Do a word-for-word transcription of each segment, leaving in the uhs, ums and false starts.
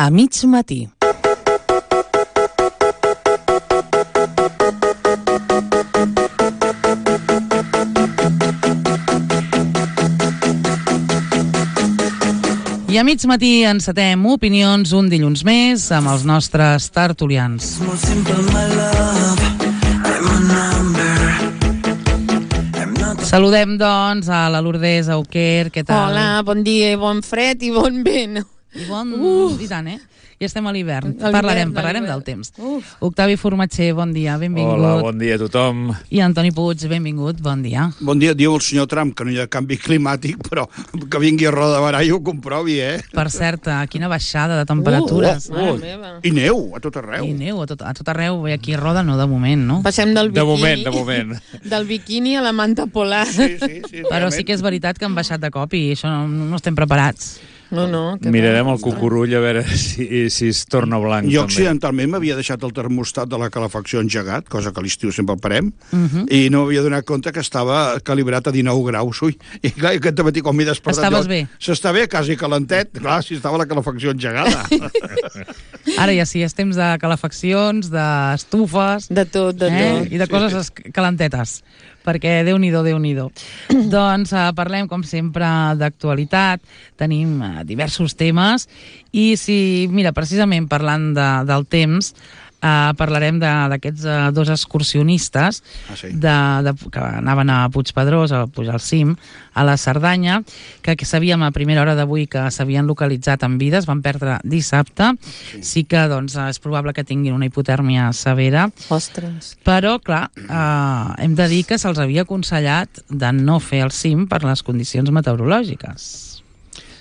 A mig matí. I a mig matí encetem opinions un dilluns més amb els nostres tertulians. Saludem, doncs, a la Lourdes Auquer, què tal? Hola, bon dia, i bon fred i bon vent. I bon... Uh. I tant, eh? I estem a l'hivern. A Parlarem, l'hivern, a parlarem l'hivern. del temps. Uf. Octavi Formatxer, bon dia, benvingut. Hola, bon dia a tothom. I Antoni Puig, benvingut, bon dia. Bon dia, diu el senyor Trump que no hi ha canvi climàtic, però que vingui a Roda de Barà i ho comprovi, eh? Per cert, quina baixada de temperatures. Uh, uh, meva. I neu, a tot arreu. I neu a tot, a tot arreu, i aquí a Roda no, de moment, no? Passem del De biquini, moment, de moment. del biquini a la manta polar. Sí, sí, sí. Però sí que és veritat que han baixat de cop i això no, no estem preparats. No, no. que Mirarem bé. el cucurull a veure si, si es torna blanc. Jo també. accidentalment m'havia deixat el termostat de la calefacció engegat, cosa que a l'estiu sempre el parem, Uh-huh. i no m'havia donat compte que estava calibrat a dinou graus. Ui, i clar, aquest matí quan m'he despertat... Estaves jo, bé? S'està bé, quasi calentet. Clar, si estava la calefacció engegada. Ara ja sí, és temps de calefaccions, d'estufes... De tot, de eh? tot. I de coses es- calentetes, perquè Déu-n'hi-do, Déu-n'hi-do. Doncs eh, parlem, com sempre, d'actualitat, tenim eh, diversos temes, i si, mira, precisament parlant de, del temps, eh, parlarem de- d'aquests eh, dos excursionistes Ah, sí? de, de, que anaven a Puigpedrós, a pujar al cim, a la Cerdanya, que, que sabíem a primera hora d'avui que s'havien localitzat en vida, es van perdre dissabte. Sí, sí que doncs, és probable que tinguin una hipotèrmia severa, Ostres. però, clar, eh, hem de dir que se'ls havia aconsellat de no fer el cim per les condicions meteorològiques.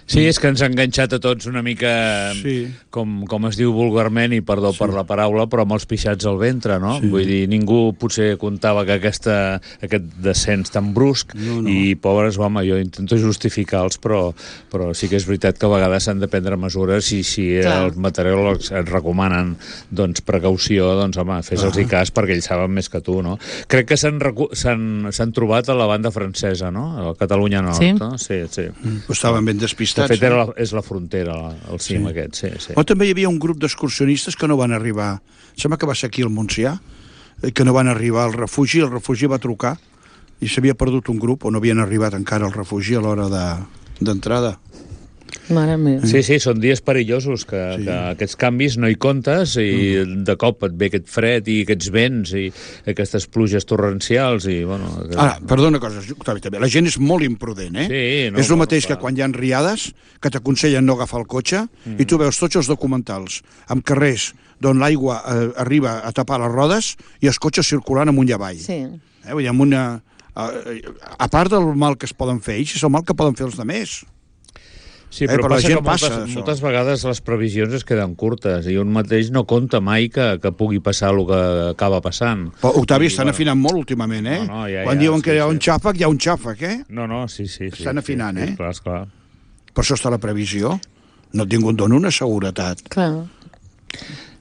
Sí, és que ens ha enganxat a tots una mica, Sí. com, com es diu vulgarment, i perdó sí. per la paraula, però amb els pixats al ventre, no? Sí. Vull dir, ningú potser comptava que aquesta, aquest descens tan brusc, No, no. i pobres, home, jo intento justificar-los, però, però sí que és veritat que a vegades s'han de prendre mesures, i si Clar. els meteoròlegs et recomanen doncs, precaució, doncs, home, fes-los Ah. cas perquè ells saben més que tu, no? Crec que s'han recu- s'han s'han trobat a la banda francesa, no? A Catalunya Nord, Sí. no? Sí, sí. Estaven ben De despistats. fet, era eh? la, és la frontera, la- el cim Sí. aquest, sí, sí. O també hi havia un grup d'excursionistes que no van arribar. Sembla que va ser aquí al Montsià, eh, que no van arribar al refugi. El refugi va trucar i s'havia perdut un grup o no havien arribat encara al refugi a l'hora de- d'entrada. Mare meva. Sí, sí, són dies perillosos, que, Sí. sí. que aquests canvis no hi comptes, i mm. de cop et ve aquest fred i aquests vents i aquestes pluges torrencials, i, bueno... Que... Ara, perdona una cosa, Octavi, també. La gent és molt imprudent, eh? Sí, no, és el no, mateix clar. que quan hi ha riades, que t'aconsellen no agafar el cotxe, mm. i tu veus tots els documentals amb carrers d'on l'aigua eh, arriba a tapar les rodes i els cotxes circulant amunt i avall. Sí. Eh? Vull dir, amb una... A, a part del mal que es poden fer ells, és el mal que poden fer els altres. Sí, Eh, però, però la passa gent que moltes, passa, això. moltes vegades les previsions es queden curtes, i un mateix no compta mai que, que pugui passar el que acaba passant. Però, Octavi, I, estan bueno, afinant molt últimament, eh? No, no, ja, quan ja, diuen sí, que hi ha sí. un xàfec, hi ha un xàfec, eh? No, no, sí, sí. sí Estan afinant, sí, eh? Sí, clar, esclar. Per això està la previsió. No ningú et dona una seguretat. Clar.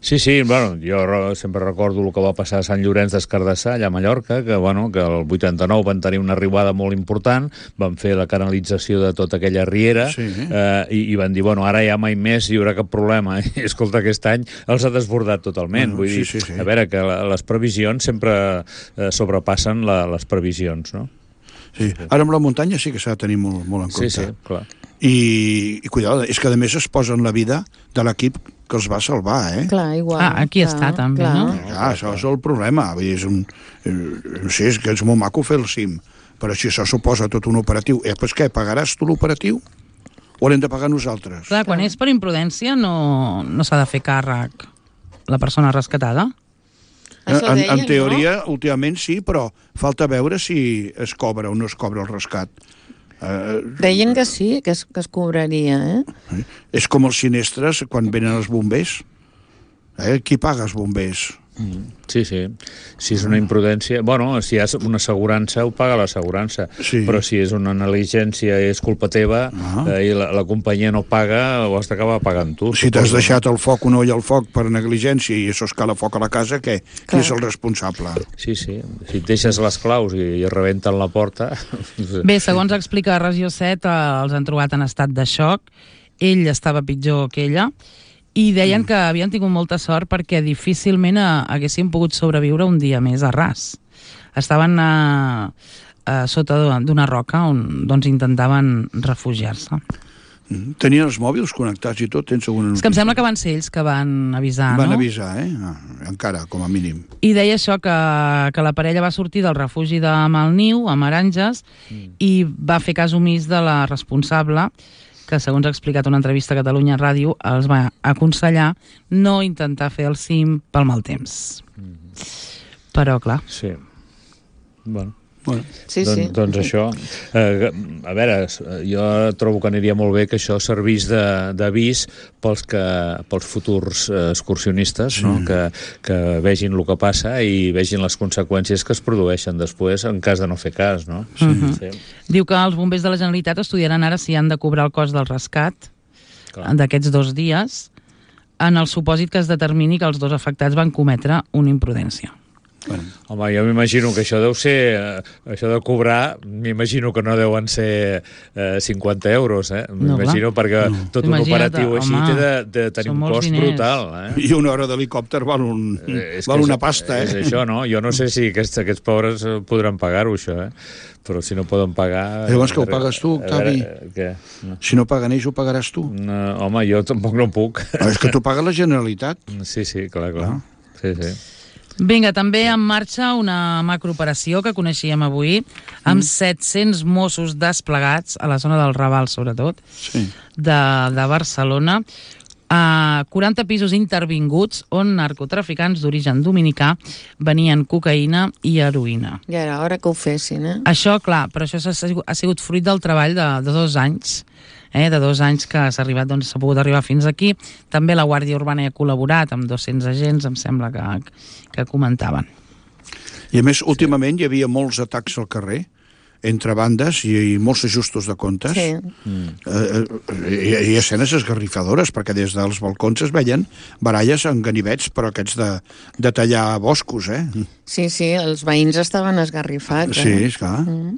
Sí, sí, bueno, jo re- sempre recordo el que va passar a Sant Llorenç des Cardassar, allà a Mallorca, que, bueno, que el vuitanta-nou van tenir una arribada molt important, van fer la canalització de tota aquella riera, Sí. eh, i, i van dir, bueno, ara ja mai més hi haurà cap problema. I, escolta, aquest any els ha desbordat totalment. Bueno, Vull sí, dir, sí, sí. a veure, que la, les previsions sempre eh, sobrepassen la, les previsions, no? Sí. Ara amb la muntanya sí que s'ha de tenir molt, molt en Sí, compte. sí, clar. I, i cuidado, és que a més es posen la vida de l'equip que els va salvar, eh? Clar, igual. Ah, aquí clar, està, també, clar. no? Ja, això és el problema. Vull dir, és un, eh, no sé, és que és molt maco fer el cim, però si això suposa tot un operatiu, eh, doncs què, pagaràs tu l'operatiu? O l'hem de pagar nosaltres? Clar, quan és per imprudència no, no s'ha de fer càrrec la persona rescatada. Això en, deien, en teoria, últimament sí, però falta veure si es cobra o no es cobra el rescat. Eh, Deien que sí, que es, que es cobraria, eh? és com els sinestres quan venen els bombers. Eh? Qui paga els bombers? Sí, sí. Si és una imprudència... Bueno, si hi ha una assegurança, ho paga l'assegurança. Sí. Però si és una negligència i és culpa teva, Ah. eh, i la, la companyia no paga, ho has d'acabar pagant tu. Si t'has suposo, deixat el foc, un ull al foc per negligència i això escala foc a la casa, què? Qui Clar. és el responsable? no? Sí, sí. Si et deixes les claus i, i rebenten la porta... Bé, segons explica Regió set, eh, els han trobat en estat de xoc. Ell estava pitjor que ella i deien que havien tingut molta sort perquè difícilment eh, haguessin pogut sobreviure un dia més a ras. Estaven eh, eh, sota d'una roca on doncs, intentaven refugiar-se. Tenien els mòbils connectats i tot? Tens alguna És que em sembla que van ser ells que van avisar, Van no? avisar, eh? Ah, encara, com a mínim. I deia això, que, que la parella va sortir del refugi de Malniu, a Maranges, mm. i va fer cas omís de la responsable, que segons ha explicat una entrevista a Catalunya Ràdio, els va aconsellar no intentar fer el cim pel mal temps. Mm. Però, clar... Sí. Bueno... Bueno. Sí, Don, sí. doncs això, eh, a veure, jo trobo que aniria molt bé que això servís d'avís pels, que, pels futurs excursionistes, sí. no? que, que vegin el que passa i vegin les conseqüències que es produeixen després en cas de no fer cas, no? Sí. Uh-huh. Sí. Diu que els bombers de la Generalitat estudiaran ara si han de cobrar el cost del rescat d'aquests dos dies en el supòsit que es determini que els dos afectats van cometre una imprudència. Bueno. Home, jo m'imagino que això deu ser... Eh, això de cobrar, m'imagino que no deuen ser eh, cinquanta euros, eh? M'imagino, no, perquè no. tot un operatiu així té de, de tenir un cost diners. brutal, eh? I una hora d'helicòpter val, un, eh, val una pasta, eh? És això, no? Jo no sé si aquests, aquests pobres podran pagar-ho, això, eh? Però si no poden pagar... Llavors que ho pagues tu, Octavi? Què? No. Si no paguen ells, ho pagaràs tu? No, home, jo tampoc no puc. Però és que tu pagues la Generalitat. Sí, sí, clar, clar. Ah. Sí, sí. Vinga, també en marxa una macrooperació que coneixíem avui, amb mm. set-cents Mossos desplegats a la zona del Raval, sobretot, sí. de, de Barcelona, a quaranta pisos intervinguts on narcotraficants d'origen dominicà venien cocaïna i heroïna. Ja era hora que ho fessin, eh? Això, clar, però això ha sigut, ha sigut fruit del treball de, de dos anys, eh, de dos anys que s'ha arribat, doncs s'ha pogut arribar fins aquí. També la Guàrdia Urbana hi ha col·laborat amb dos-cents agents, em sembla que, que comentaven. I a més, últimament hi havia molts atacs al carrer, entre bandes i, i molts ajustos de comptes. Sí. Mm. Eh, hi, hi ha escenes esgarrifadores, perquè des dels balcons es veien baralles en ganivets, però aquests de, de tallar boscos, eh? Sí, sí, els veïns estaven esgarrifats. Sí, eh? esclar. Mm.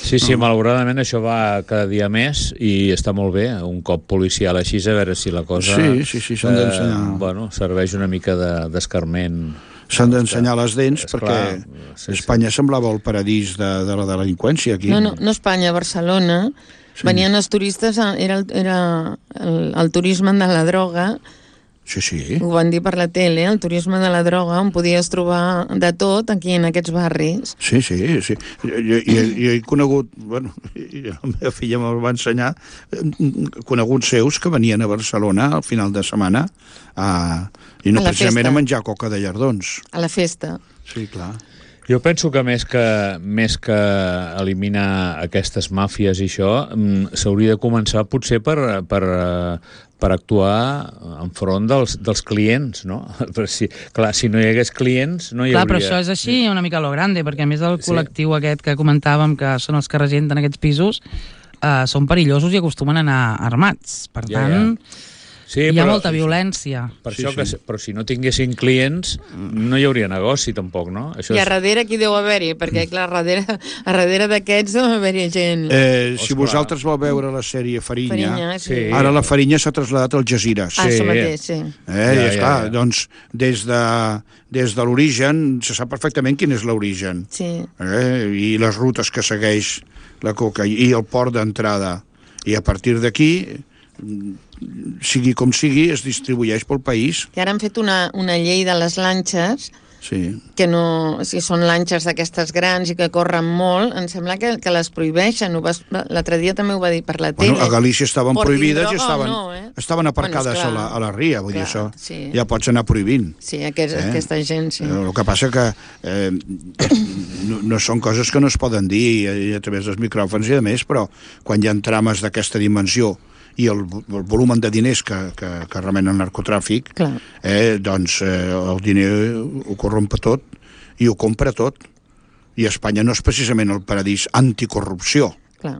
Sí, sí, no. malauradament això va cada dia més i està molt bé, un cop policial així, a veure si la cosa sí, sí, sí, s'han d'ensenyar. Eh, bueno, serveix una mica d'escarment. S'han d'ensenyar les dents, és perquè clar, sí, Espanya sí. semblava el paradís de, de la delinqüència aquí. No, no, no Espanya, Barcelona. Sí. Venien els turistes, era, el, era el, el turisme de la droga. Sí, sí. Ho van dir per la tele, el turisme de la droga, on podies trobar de tot aquí en aquests barris. Sí, sí, sí. Jo, jo, jo he conegut, bueno, la meva filla me'l va ensenyar, coneguts seus que venien a Barcelona al final de setmana a, i no a precisament festa. A menjar coca de llardons. A la festa. Sí, clar. Jo penso que més que, més que eliminar aquestes màfies i això, s'hauria de començar potser per, per, per actuar enfront dels, dels clients, no? Però si, clar, si no hi hagués clients, no hi clar, hauria... Però això és així una mica a lo grande, perquè a més el col·lectiu sí. aquest que comentàvem, que són els que regenten aquests pisos, eh, són perillosos i acostumen a anar armats. Per ja, tant... Ja. Sí, hi ha però, molta violència. Per sí, això sí. que, però si no tinguessin clients, no hi hauria negoci, tampoc, no? Això I a és... darrere qui deu haver-hi? Perquè, clar, a darrere, a darrere d'aquests deu haver-hi gent. Eh, si vosaltres vau veure la sèrie Farinya, Farinya sí. sí. ara la Farinya s'ha traslladat al Jazeera. Ah, això mateix, sí. Eh, ja, ja, esclar, ja, ja. Doncs des de, des de l'origen, se sap perfectament quin és l'origen. Sí. Eh, I les rutes que segueix la coca i el port d'entrada. I a partir d'aquí, sigui com sigui, es distribueix pel país. I ara han fet una, una llei de les lanxes, sí. que no, si són lanxes d'aquestes grans i que corren molt, em sembla que, que les prohibeixen. L'altre dia també ho va dir per la tele. Bueno, a Galícia estaven Portin prohibides i droga estaven, no, eh? estaven aparcades bueno, a, la, a la ria, vull clar, dir això. Sí. Ja pots anar prohibint. Sí, aquest, eh? aquesta gent, sí. El que passa que eh, no, no són coses que no es poden dir a, a través dels micròfons i de més, però quan hi ha trames d'aquesta dimensió i el, el volum de diners que, que, que remenen el narcotràfic, eh, doncs eh, el diner ho corrompe tot i ho compra tot. I Espanya no és precisament el paradís anticorrupció. Clar.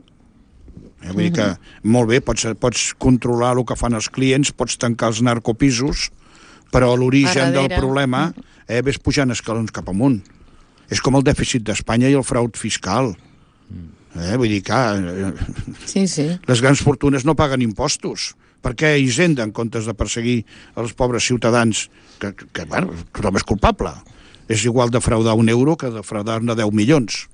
Eh, vull dir que, molt bé, pots, pots controlar el que fan els clients, pots tancar els narcopisos, però l'origen del problema eh, ves pujant escalons cap amunt. És com el dèficit d'Espanya i el fraud fiscal. Eh, vull dir que sí, sí. les grans fortunes no paguen impostos, Per què Hisenda, en comptes de perseguir els pobres ciutadans, que, que, que bueno, tothom és culpable. És igual defraudar un euro que defraudar-ne deu milions.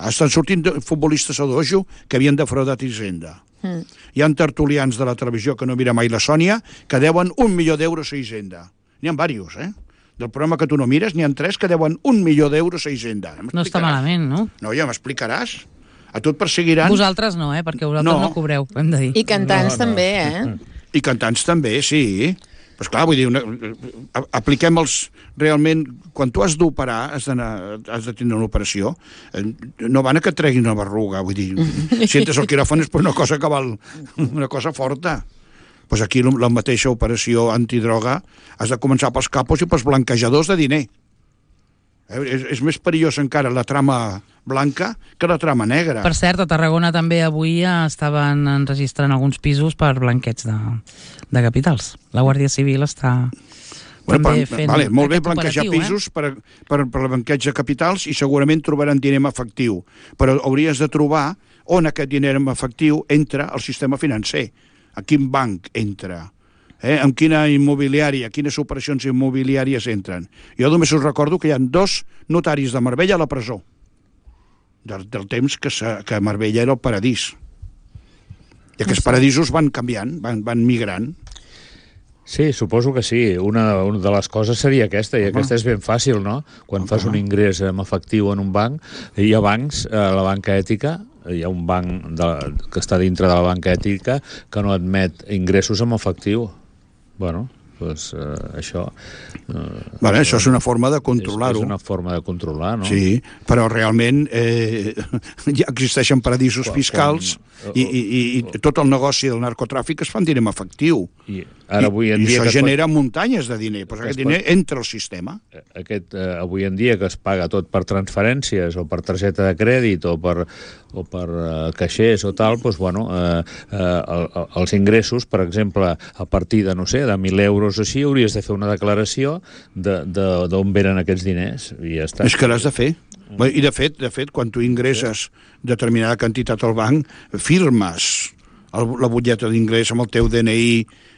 Estan sortint futbolistes a dojo que havien defraudat Hisenda. Mm. Hi ha tertulians de la televisió, que no mira mai la Sònia, que deuen un milió d'euros a Hisenda. N'hi ha diversos, eh? Del programa que tu no mires, n'hi ha tres que deuen un milió d'euros a Hisenda. No està malament, no? No, ja m'explicaràs. A tu et perseguiran... Vosaltres no, eh? Perquè vosaltres no, no cobreu, hem de dir. I cantants no, no. també, eh? I cantants també, sí. Pues clar, vull dir, una, apliquem els... Realment, quan tu has d'operar, has, has de tenir una operació, no van a que et treguin una berruga, vull dir, si entres al quiròfan és per una cosa que val, una cosa forta. Pues aquí la mateixa operació antidroga has de començar pels capos i pels blanquejadors de diner. Eh, és, és més perillós encara la trama blanca que la trama negra. Per cert, a Tarragona també avui estaven enregistrant alguns pisos per blanqueig de, de capitals. La Guàrdia Civil està bueno, també per, fent vale, molt bé blanquejar operatiu, pisos eh? per, per, per blanqueig de capitals i segurament trobaran diner en efectiu. Però hauries de trobar on aquest diner en efectiu entra al sistema financer. A quin banc entra? Eh? En quina immobiliària, quines operacions immobiliàries entren? Jo només us recordo que hi ha dos notaris de Marbella a la presó, del, del temps que, que Marbella era el paradís. I aquests paradisos van canviant, van, van migrant. Sí, suposo que sí. Una, una de les coses seria aquesta, i Home. aquesta és ben fàcil, no? Quan Home. fas un ingrés en efectiu en un banc, hi ha bancs, a la banca ètica, hi ha un banc de, que està dintre de la banca ètica que no admet ingressos en efectiu. Bueno, doncs eh, això... Eh, bueno, això és una forma de controlar-ho. És, és una forma de controlar, no? Sí, però realment eh, ja existeixen paradisos quan, fiscals quan, i, i, i tot el negoci del narcotràfic es fan diner en efectiu. I, ara, avui en I, dia i això genera pot... muntanyes de diner, però aquest diner pot... entra al sistema. Aquest, eh, avui en dia que es paga tot per transferències o per targeta de crèdit o per, o per eh, caixers o tal, doncs, bueno, eh, eh, els ingressos, per exemple, a partir de, no sé, de mil euros així, hauries de fer una declaració d'on venen aquests diners. I ja està. És que l'has de fer. I de fet, de fet, quan tu ingresses determinada quantitat al banc, firmes el, la butlleta d'ingrés amb el teu D N I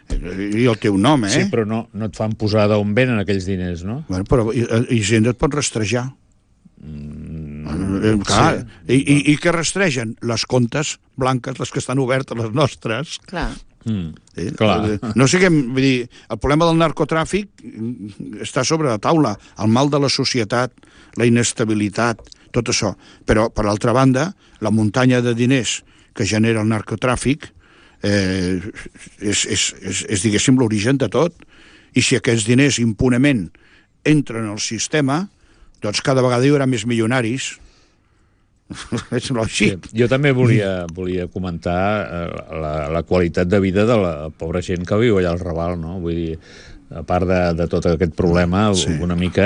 i el teu nom, eh? Sí, però no, no et fan posar d'on venen aquells diners, no? Bueno, però Hisenda et pot rastrejar. Mm, clar, sí. I, i, I què rastregen? Les comptes blanques, les que estan obertes, les nostres. Clar. Mm, eh? clar. No siguem, vull dir, el problema del narcotràfic està sobre la taula, el mal de la societat, la inestabilitat, tot això. Però, per l'altra banda, la muntanya de diners que genera el narcotràfic eh, és, és, és, és, diguéssim, l'origen de tot. I si aquests diners impunement entren al sistema, doncs cada vegada hi haurà més milionaris. És lògic. Sí, jo també volia, volia comentar la, la qualitat de vida de la pobra gent que viu allà al Raval, no? Vull dir, a part de, de tot aquest problema, sí. una mica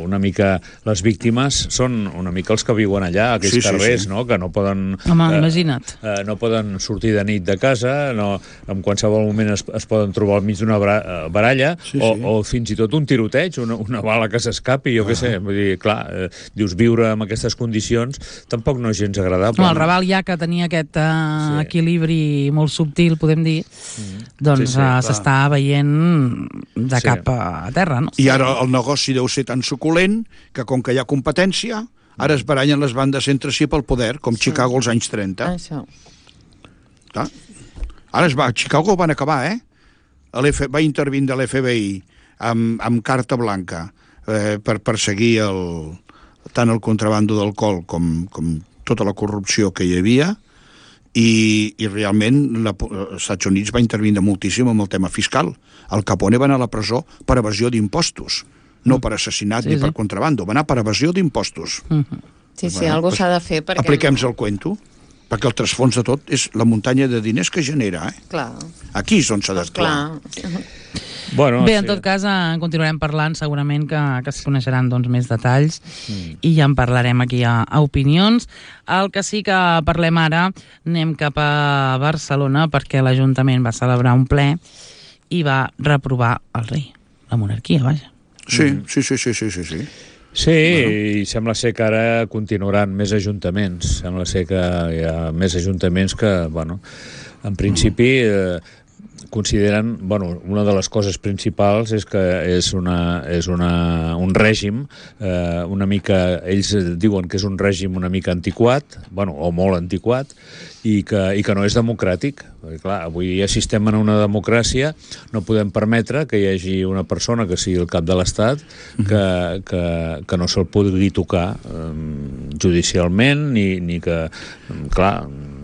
una mica les víctimes són una mica els que viuen allà, aquells sí, carrers, sí, sí. No? Que no poden... Home, eh, imagina't. Eh, no poden sortir de nit de casa, no, en qualsevol moment es, es poden trobar al mig d'una baralla, sí, o, sí. o fins i tot un tiroteig, una, una bala que s'escapi, jo ah. què sé. Vull dir, clar, eh, dius, viure en aquestes condicions tampoc no és gens agradable. No, el Raval ja que tenia aquest uh, sí. equilibri molt subtil, podem dir, mm. doncs sí, sí, uh, s'està veient de sí. cap a terra, no? I ara el negoci deu ser tan suculent que com que hi ha competència, ara es barallen les bandes entre si pel poder, com sí. Chicago als anys trenta. Això. Clar. Ara es va, a Chicago van acabar, eh? L'F, va intervindre l'F B I amb, amb carta blanca eh, per perseguir el, tant el contrabando d'alcohol com, com tota la corrupció que hi havia. I, i realment la, els Estats Units va intervindre moltíssim amb el tema fiscal. Al Capone va anar a la presó per evasió d'impostos, no per assassinat sí, ni sí. per contrabando, va anar per evasió d'impostos. Uh-huh. Sí, sí, bueno, alguna cosa s'ha de fer perquè... Apliquem-nos el cuento, perquè el trasfons de tot és la muntanya de diners que genera, eh? Clar. Aquí és on s'ha d'actuar. Clar. Bueno, Bé, en sí. tot cas, en continuarem parlant, segurament que, que es coneixeran doncs, més detalls mm. i ja en parlarem aquí a, a Opinions. El que sí que parlem ara, anem cap a Barcelona perquè l'Ajuntament va celebrar un ple i va reprovar el rei, la monarquia, vaja. Sí, mm. sí, sí, sí, sí, sí, sí. Sí, bueno. I sembla ser que ara continuaran més ajuntaments. Sembla ser que hi ha més ajuntaments que, bueno, en principi... Eh, consideren, bueno, una de les coses principals és que és, una, és una, un règim eh, una mica, ells diuen que és un règim una mica antiquat, bueno, o molt antiquat, i que, i que no és democràtic. Perquè, clar, avui ja si estem en una democràcia no podem permetre que hi hagi una persona que sigui el cap de l'Estat que, que, que no se'l pugui tocar eh, judicialment, ni, ni que, clar,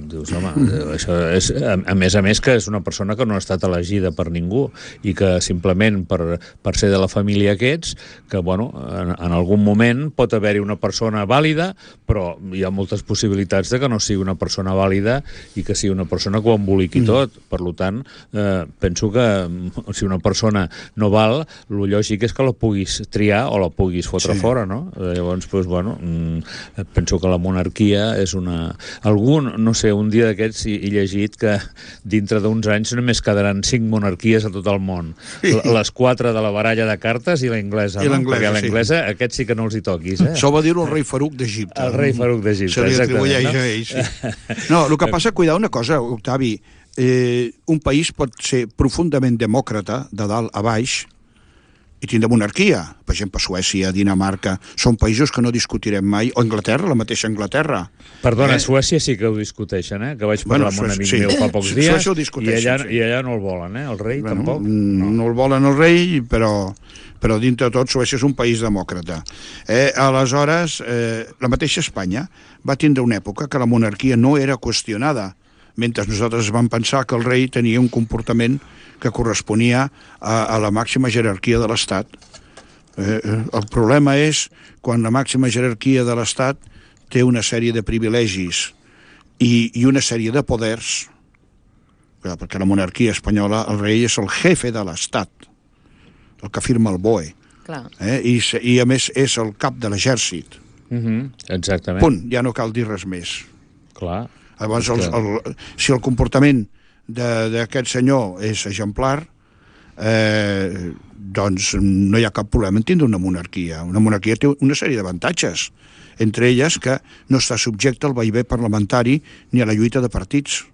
dius, home, això és, a, a més a més que és una persona que no ha estat elegida per ningú i que simplement per, per ser de la família que ets, que bueno, en, en algun moment pot haver-hi una persona vàlida, però hi ha moltes possibilitats de que no sigui una persona vàlida i que sigui una persona que ho emboliqui mm. tot. Per tant, eh, penso que si una persona no val, el lògic és que la puguis triar o la puguis fotre sí. fora, no? Llavors, doncs, bueno, penso que la monarquia és una... Algun, no sé, un dia d'aquests he llegit que dintre d'uns anys només quedaran cinc monarquies a tot el món. Les quatre de la baralla de cartes i la inglesa, no? Perquè la inglesa, sí. Aquests sí que no els hi toquis, eh? Això va dir-ho el rei Faruc d'Egipte. El rei Faruc d'Egipte, se li atribueix no? a ell, sí. No, el que passa, cuidar una cosa, Octavi, eh, un país pot ser profundament demòcrata, de dalt a baix, i tindre monarquia. Per exemple, Suècia, Dinamarca, són països que no discutirem mai, o Anglaterra, la mateixa Anglaterra. Perdona, eh? Suècia sí que ho discuteixen, eh? Que vaig parlar bueno, amb un amic sí. meu fa pocs dies, i allà, sí. i allà no el volen, eh? El rei bueno, tampoc. No. no el volen el rei, però, però dintre de tot Suècia és un país demòcrata. Eh, aleshores, eh, la mateixa Espanya va tindre una època que la monarquia no era qüestionada, mentre nosaltres vam pensar que el rei tenia un comportament que corresponia a, a la màxima jerarquia de l'Estat. Eh, el problema és quan la màxima jerarquia de l'Estat té una sèrie de privilegis i, i una sèrie de poders, perquè la monarquia espanyola, el rei és el jefe de l'Estat, el que firma el B O E. Clar. Eh, i, I a més és el cap de l'exèrcit. Mm-hmm. Exactament. Punt, ja no cal dir res més. Clar. Llavors, el, el, si el comportament d'aquest senyor és exemplar, eh, doncs no hi ha cap problema en tindre una monarquia. Una monarquia té una sèrie d'avantatges, entre elles que no està subjecte al vaivé parlamentari ni a la lluita de partits.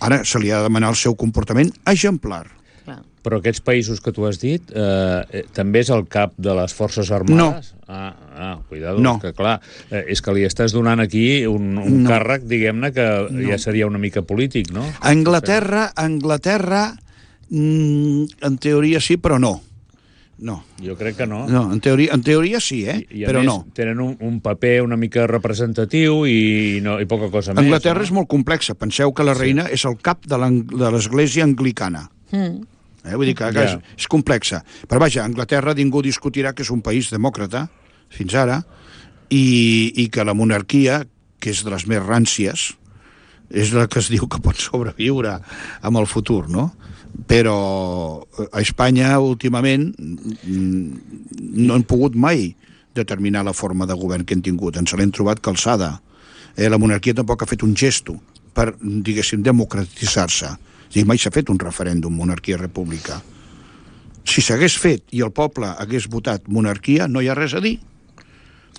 Ara se li ha de demanar el seu comportament exemplar. Però aquests països que tu has dit, eh, també és el cap de les Forces Armades? No. Ah, ah cuidado, no. que clar, eh, és que li estàs donant aquí un, un no. càrrec, diguem-ne, que no. ja seria una mica polític, no? A Anglaterra, a Anglaterra, mm, en teoria sí, però no. No. Jo crec que no. No, en teoria, en teoria sí, eh? I, i però més, no. Tenen un, un paper una mica representatiu i, no, i poca cosa més. Anglaterra no? és molt complexa. Penseu que la reina sí. és el cap de l'església anglicana. Mm. Eh, vull dir que, que és, és complexa. Però vaja, Anglaterra ningú discutirà que és un país demòcrata, fins ara, i, i que la monarquia, que és de les més ràncies, és la que es diu que pot sobreviure amb el futur, no? Però a Espanya, últimament, no han pogut mai determinar la forma de govern que han tingut. Ens l'hem trobat calçada. Eh, la monarquia tampoc ha fet un gesto per, diguéssim, democratitzar-se. I mai s'ha fet un referèndum monarquia-república. Si s'hagués fet i el poble hagués votat monarquia, no hi ha res a dir,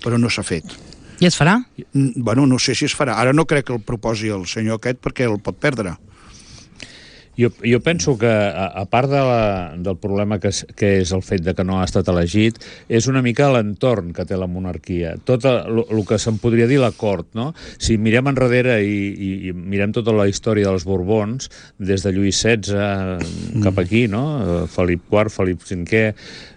però no s'ha fet. I es farà? Bueno, no sé si es farà. Ara no crec que el proposi el senyor aquest perquè el pot perdre. Jo, jo penso que, a, a part de la, del problema que és, que és el fet de que no ha estat elegit, és una mica l'entorn que té la monarquia. Tot el, el que se'n podria dir la cort, no? Si mirem enrere i, i, i mirem tota la història dels Borbons, des de Lluís setze cap aquí, no? Felip quart, Felip cinquè,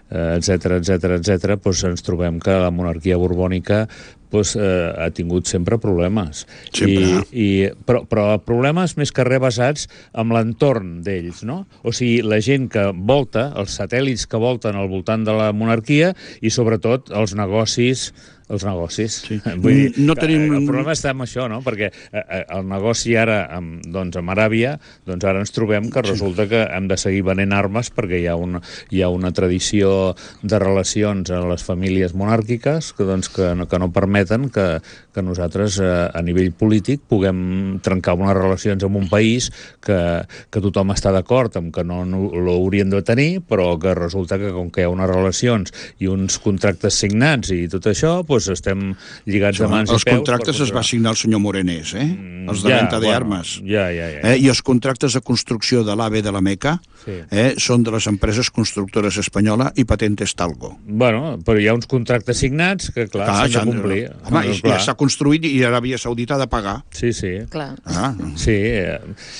etcètera, etcètera, etcètera, doncs ens trobem que la monarquia borbònica doncs, eh, ha tingut sempre problemes. Sempre. I, i, però, però problemes més que res basats en l'entorn d'ells, no? O sigui, la gent que volta, els satèl·lits que volten al voltant de la monarquia i sobretot els negocis els negocis. Sí. Vull dir, no tenim... el problema està en això, no? Perquè el negoci ara, amb, doncs, amb Aràbia, doncs ara ens trobem que resulta que hem de seguir venent armes perquè hi ha una, hi ha una tradició de relacions en les famílies monàrquiques que, doncs, que, no, que no permeten que, que nosaltres, a nivell polític, puguem trencar unes relacions amb un país que, que tothom està d'acord amb que no, no l'haurien de tenir, però que resulta que com que hi ha unes relacions i uns contractes signats i tot això, doncs doncs estem lligats de mans i els peus. Els contractes es va signar el senyor Morenés, eh? Mm, els de ja, venda bueno, d'armes. Ja, ja, ja. Eh? I els contractes de construcció de l'AVE de la Meca sí. eh? són de les empreses constructores espanyola i Patentes Talgo. Bueno, però hi ha uns contractes signats que, clar, clar s'han de complir. Home, i, ja s'ha construït i Aràbia Saudita ha de pagar. Sí, sí. Clar. Ah. Sí, eh,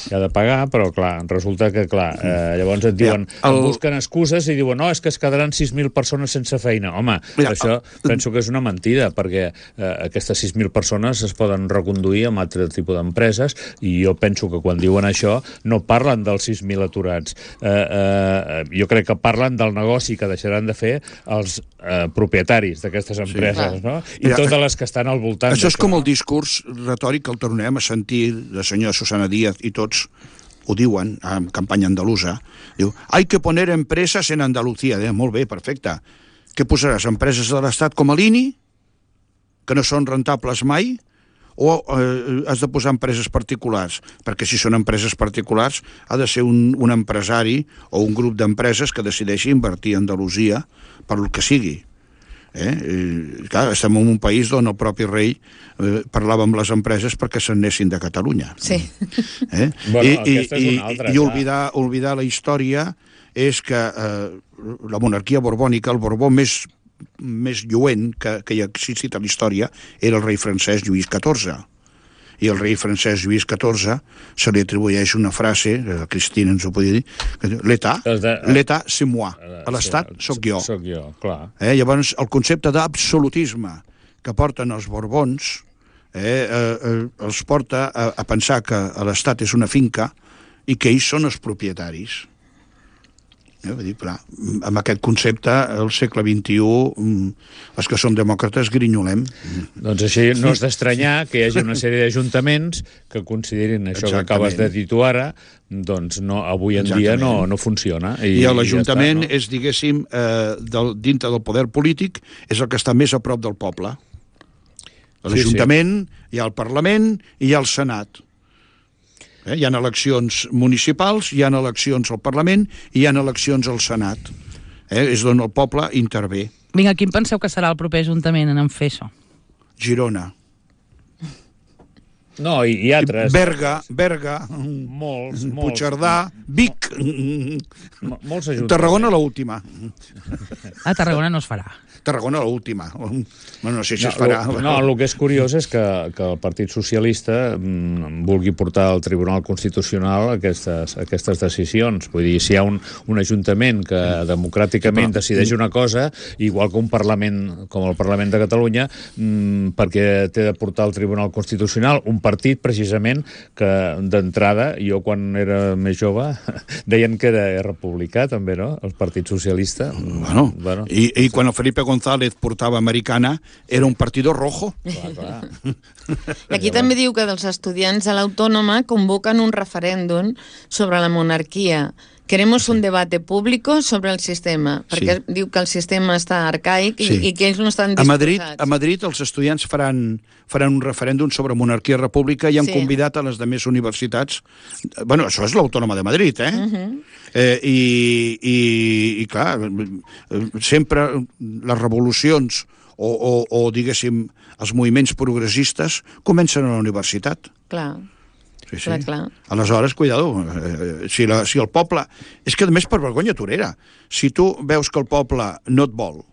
hi ha de pagar, però, clar, resulta que, clar, eh, llavors et diuen, ja, el... busquen excuses i diuen, no, és que es quedaran sis mil persones sense feina. Home, ja, això el... penso que és una mentida, perquè eh, aquestes sis mil persones es poden reconduir amb altre tipus d'empreses, i jo penso que quan diuen això no parlen dels sis mil aturats. Eh, eh, jo crec que parlen del negoci que deixaran de fer els eh, propietaris d'aquestes empreses, sí, no? I Mira, totes les que estan al voltant. Això és com el discurs retòric que el tornem a sentir la senyora Susana Díaz i tots ho diuen en campanya andalusa. Diu, hay que poner empreses en Andalucía. Diu, molt bé, perfecte. Què posaràs? Empreses de l'Estat com a l'I N I, que no són rentables mai? O eh, has de posar empreses particulars? Perquè si són empreses particulars ha de ser un, un empresari o un grup d'empreses que decideixi invertir a Andalusia per el que sigui. Eh? Eh, clar, estem en un país on el propi rei eh, parlava amb les empreses perquè se'n anessin de Catalunya. Sí. Eh? Bueno, I, aquesta és una altra, i, i oblidar, oblidar la història és que eh, la monarquia borbònica, el Borbó més, més lluent que, que hi ha existit a la història era el rei francès Lluís catorze. I el rei francès Lluís catorze se li atribueix una frase, eh, Cristina ens ho podia dir, l'état, l'état c'est moi, a l'estat soc jo. Soc jo, clar. Eh, llavors, el concepte d'absolutisme que porten els Borbons eh, eh, els porta a, a pensar que l'estat és una finca i que ells són els propietaris. Eh, vull dir, clar, amb aquest concepte, al segle vint-i-u, els que som demòcrates grinyolem. Doncs així no és d'estranyar que hi hagi una sèrie d'ajuntaments que considerin això Exactament. Que acabes de dir tu ara, doncs no, avui en Exactament. Dia no, no funciona. I, I l'Ajuntament ja està, no? és, diguéssim, eh, del, dintre del poder polític, és el que està més a prop del poble. A l'Ajuntament sí, sí. hi ha el Parlament i hi ha el Senat. Eh? Hi ha eleccions municipals, hi ha eleccions al Parlament i hi ha eleccions al Senat. Eh? És on el poble intervé. Vinga, quin penseu que serà el proper Ajuntament en fer això? Girona. No, i, i altres. Berga, Berga, molts, molts. Puigcerdà, Vic. Molts ajuntaments. Tarragona l'última. A Tarragona no es farà. Tarragona l'última. No, no sé si no, es farà. Lo, no, el que és curiós és que, que el Partit Socialista mm, vulgui portar al Tribunal Constitucional aquestes, aquestes decisions. Vull dir, si hi ha un, un ajuntament que democràticament Però, decideix una cosa, igual que un Parlament com el Parlament de Catalunya, mm, perquè té de portar al Tribunal Constitucional un partit, precisament, que d'entrada, jo quan era més jove, deien que era republicà, també, no?, el Partit Socialista. Bueno, bueno i, i quan el Felipe González portava Americana, era un partido rojo. Clar, clar. I aquí també diu que dels estudiants a l'Autònoma convoquen un referèndum sobre la monarquia. Queremos un debate público sobre el sistema, perquè sí. diu que el sistema està arcaic i, sí. i que ells no estan disposats. A Madrid, a Madrid els estudiants faran, faran un referèndum sobre monarquia i república i han sí. convidat a les demés universitats. Bueno, això és l'Autònoma de Madrid, eh? Uh -huh. eh i, i, I, clar, sempre les revolucions o, o, o, diguéssim, els moviments progressistes comencen a la universitat. Clar. Sí, sí. Clar, clar. Aleshores, cuidado, eh, si, la, si el poble... És que, a més, per vergonya torera, si tu veus que el poble no et vol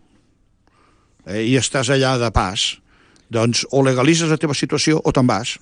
eh, i estàs allà de pas, doncs o legalitzes la teva situació o te'n vas.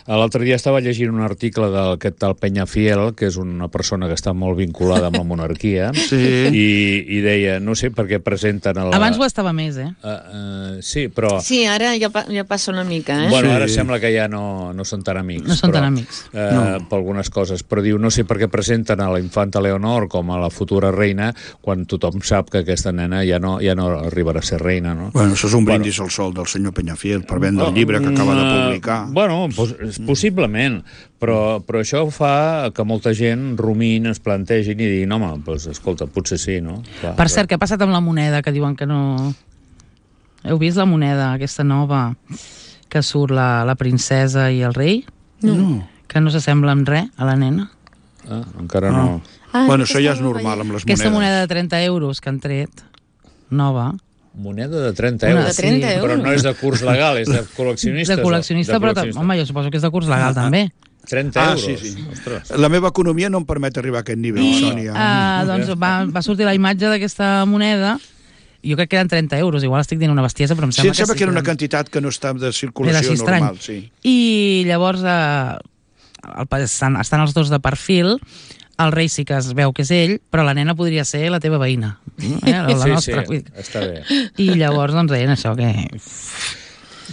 L'altre dia estava llegint un article d'aquest tal Peñafiel, que és una persona que està molt vinculada amb la monarquia, sí. i, i deia, no sé per què presenten... La... Abans ho estava més, eh? Uh, uh, sí, però... Sí, ara ja, ja passa una mica, eh? Bueno, sí. ara sembla que ja no, no són tan amics. No són però, tan amics. Uh, no. Per algunes coses. Però diu, no sé per què presenten a la infanta Leonor com a la futura reina quan tothom sap que aquesta nena ja no, ja no arribarà a ser reina, no? Bueno, això és un brindis bueno. al sol del senyor Peñafiel per vendre el llibre que acaba de publicar. Uh, bueno, pues, possiblement, però, però això fa que molta gent rumin, es plantegin i diguin, home, doncs, escolta, potser sí, no? Clar, per cert, què ha passat amb la moneda, que diuen que no... Heu vist la moneda, aquesta nova, que surt la, la princesa i el rei? No. Que no s'assembla en res a la nena? Ah, encara no. no. Ah, bueno, això ja és normal amb les aquesta monedes. moneda de trenta euros que han tret, nova, Moneda de trenta Una euros. de trenta sí. euros. Però no és de curs legal, és de col·leccionistes. De col·leccionista, de però col·leccionista. home, jo suposo que és de curs legal, també. trenta Ah, euros. sí, sí. Ostres. La meva economia no em permet arribar a aquest nivell, I Sònia. uh, doncs va, va sortir la imatge d'aquesta moneda, jo crec que eren trenta euros, igual estic dient una bestiesa, però em Sí, sembla em sembla que que era una eren- quantitat que no està de era circulació així estrany. normal, sí. I llavors eh, el, pa- estan, estan els dos de perfil, el rei sí que es veu que és ell, però la nena podria ser la teva veïna, eh? la, la Sí, nostra. sí, Vull dir. està bé. I llavors doncs deien això, que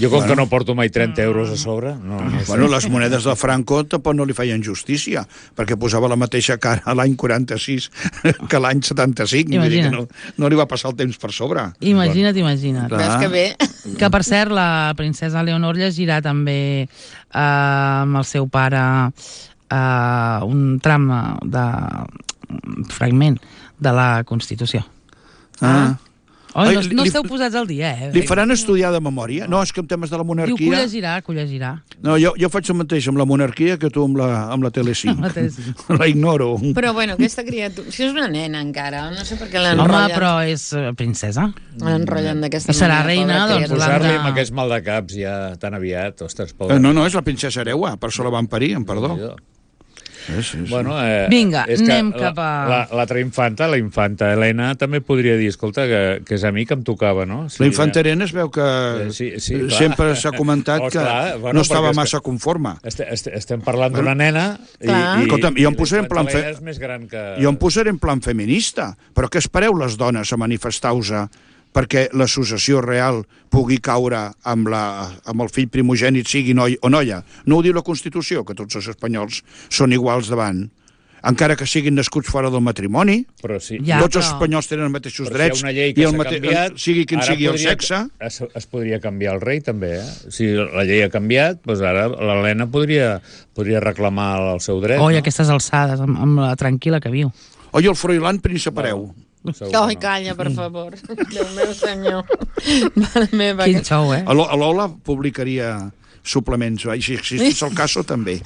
Jo com que no porto mai trenta euros a sobre, no, no sé. Bueno, les monedes de Franco tampoc no li feien justícia, perquè posava la mateixa cara a l'any quaranta-sis que l'any setanta-cinc. Vull dir que no, no li va passar el temps per sobre. imagina't, imagina't. Clar. Veus que bé? Que, per cert, la princesa Leonor llegirà també eh, amb el seu pare eh, un tram de un fragment de la Constitució. Ah. Oi, Ai, no, no li- esteu posats al dia, eh? Li faran estudiar de memòria? No, és que en temes de la Diu que ho monarquia... llegirà, que ho llegirà. No, jo, jo faig el mateix amb la monarquia que tu amb la, amb la Tele cinc. Amb la Tele cinc. La ignoro. Però bueno, aquesta criatura... Si és una nena encara, no sé per què Home, l'enrotllen. però és eh, princesa. L'enrotllen d'aquesta I serà manera, reina, pobra doncs, criatura. Posar-li l'han de- amb aquest mal de caps ja tan aviat, ostres, Eh, pobre. No, no, és la princesa Hereua, per això la van parir, em perdó. Sí, sí, sí. Bueno, eh, Vinga, és que anem cap a- la- L'altra infanta, la infanta Helena, també podria dir, escolta, que, que és a mi que em tocava, no? La infanta Helena es veu que Eh, sí, sí, clar. sempre s'ha comentat Oh, que clar, bueno, no estava perquè és massa que- conforme. Este, este, estem parlant d'una nena i, Clar. i, Escolta'm, jo em i posaré en la plan infanta fe- Helena és més gran que... Jo em posaré en plan feminista, però què espereu les dones a manifestar-vos perquè l'associació real pugui caure amb, la, amb el fill primogènit, sigui noi o noia? No ho diu la Constitució, que tots els espanyols són iguals davant, encara que siguin nascuts fora del matrimoni. Però sí. Ja, Tots els però- espanyols tenen els mateixos Però drets si hi ha una llei i que el s'ha mate... canviat, sigui quin ara sigui el podria- sexe. Es, es podria canviar el rei, també, eh? Si la llei ha canviat, doncs ara l'Helena podria, podria reclamar el seu dret. Oi, no? aquestes alçades, amb, amb la tranquil·la que viu. Oi, el Froilán príncep hereu. Segur Ai, que no. calla, per favor. Déu meu senyor. Mare meva. Quin que- xou, eh? A l'O- a l'Ola publicaria suplements, i si existís el cas, també.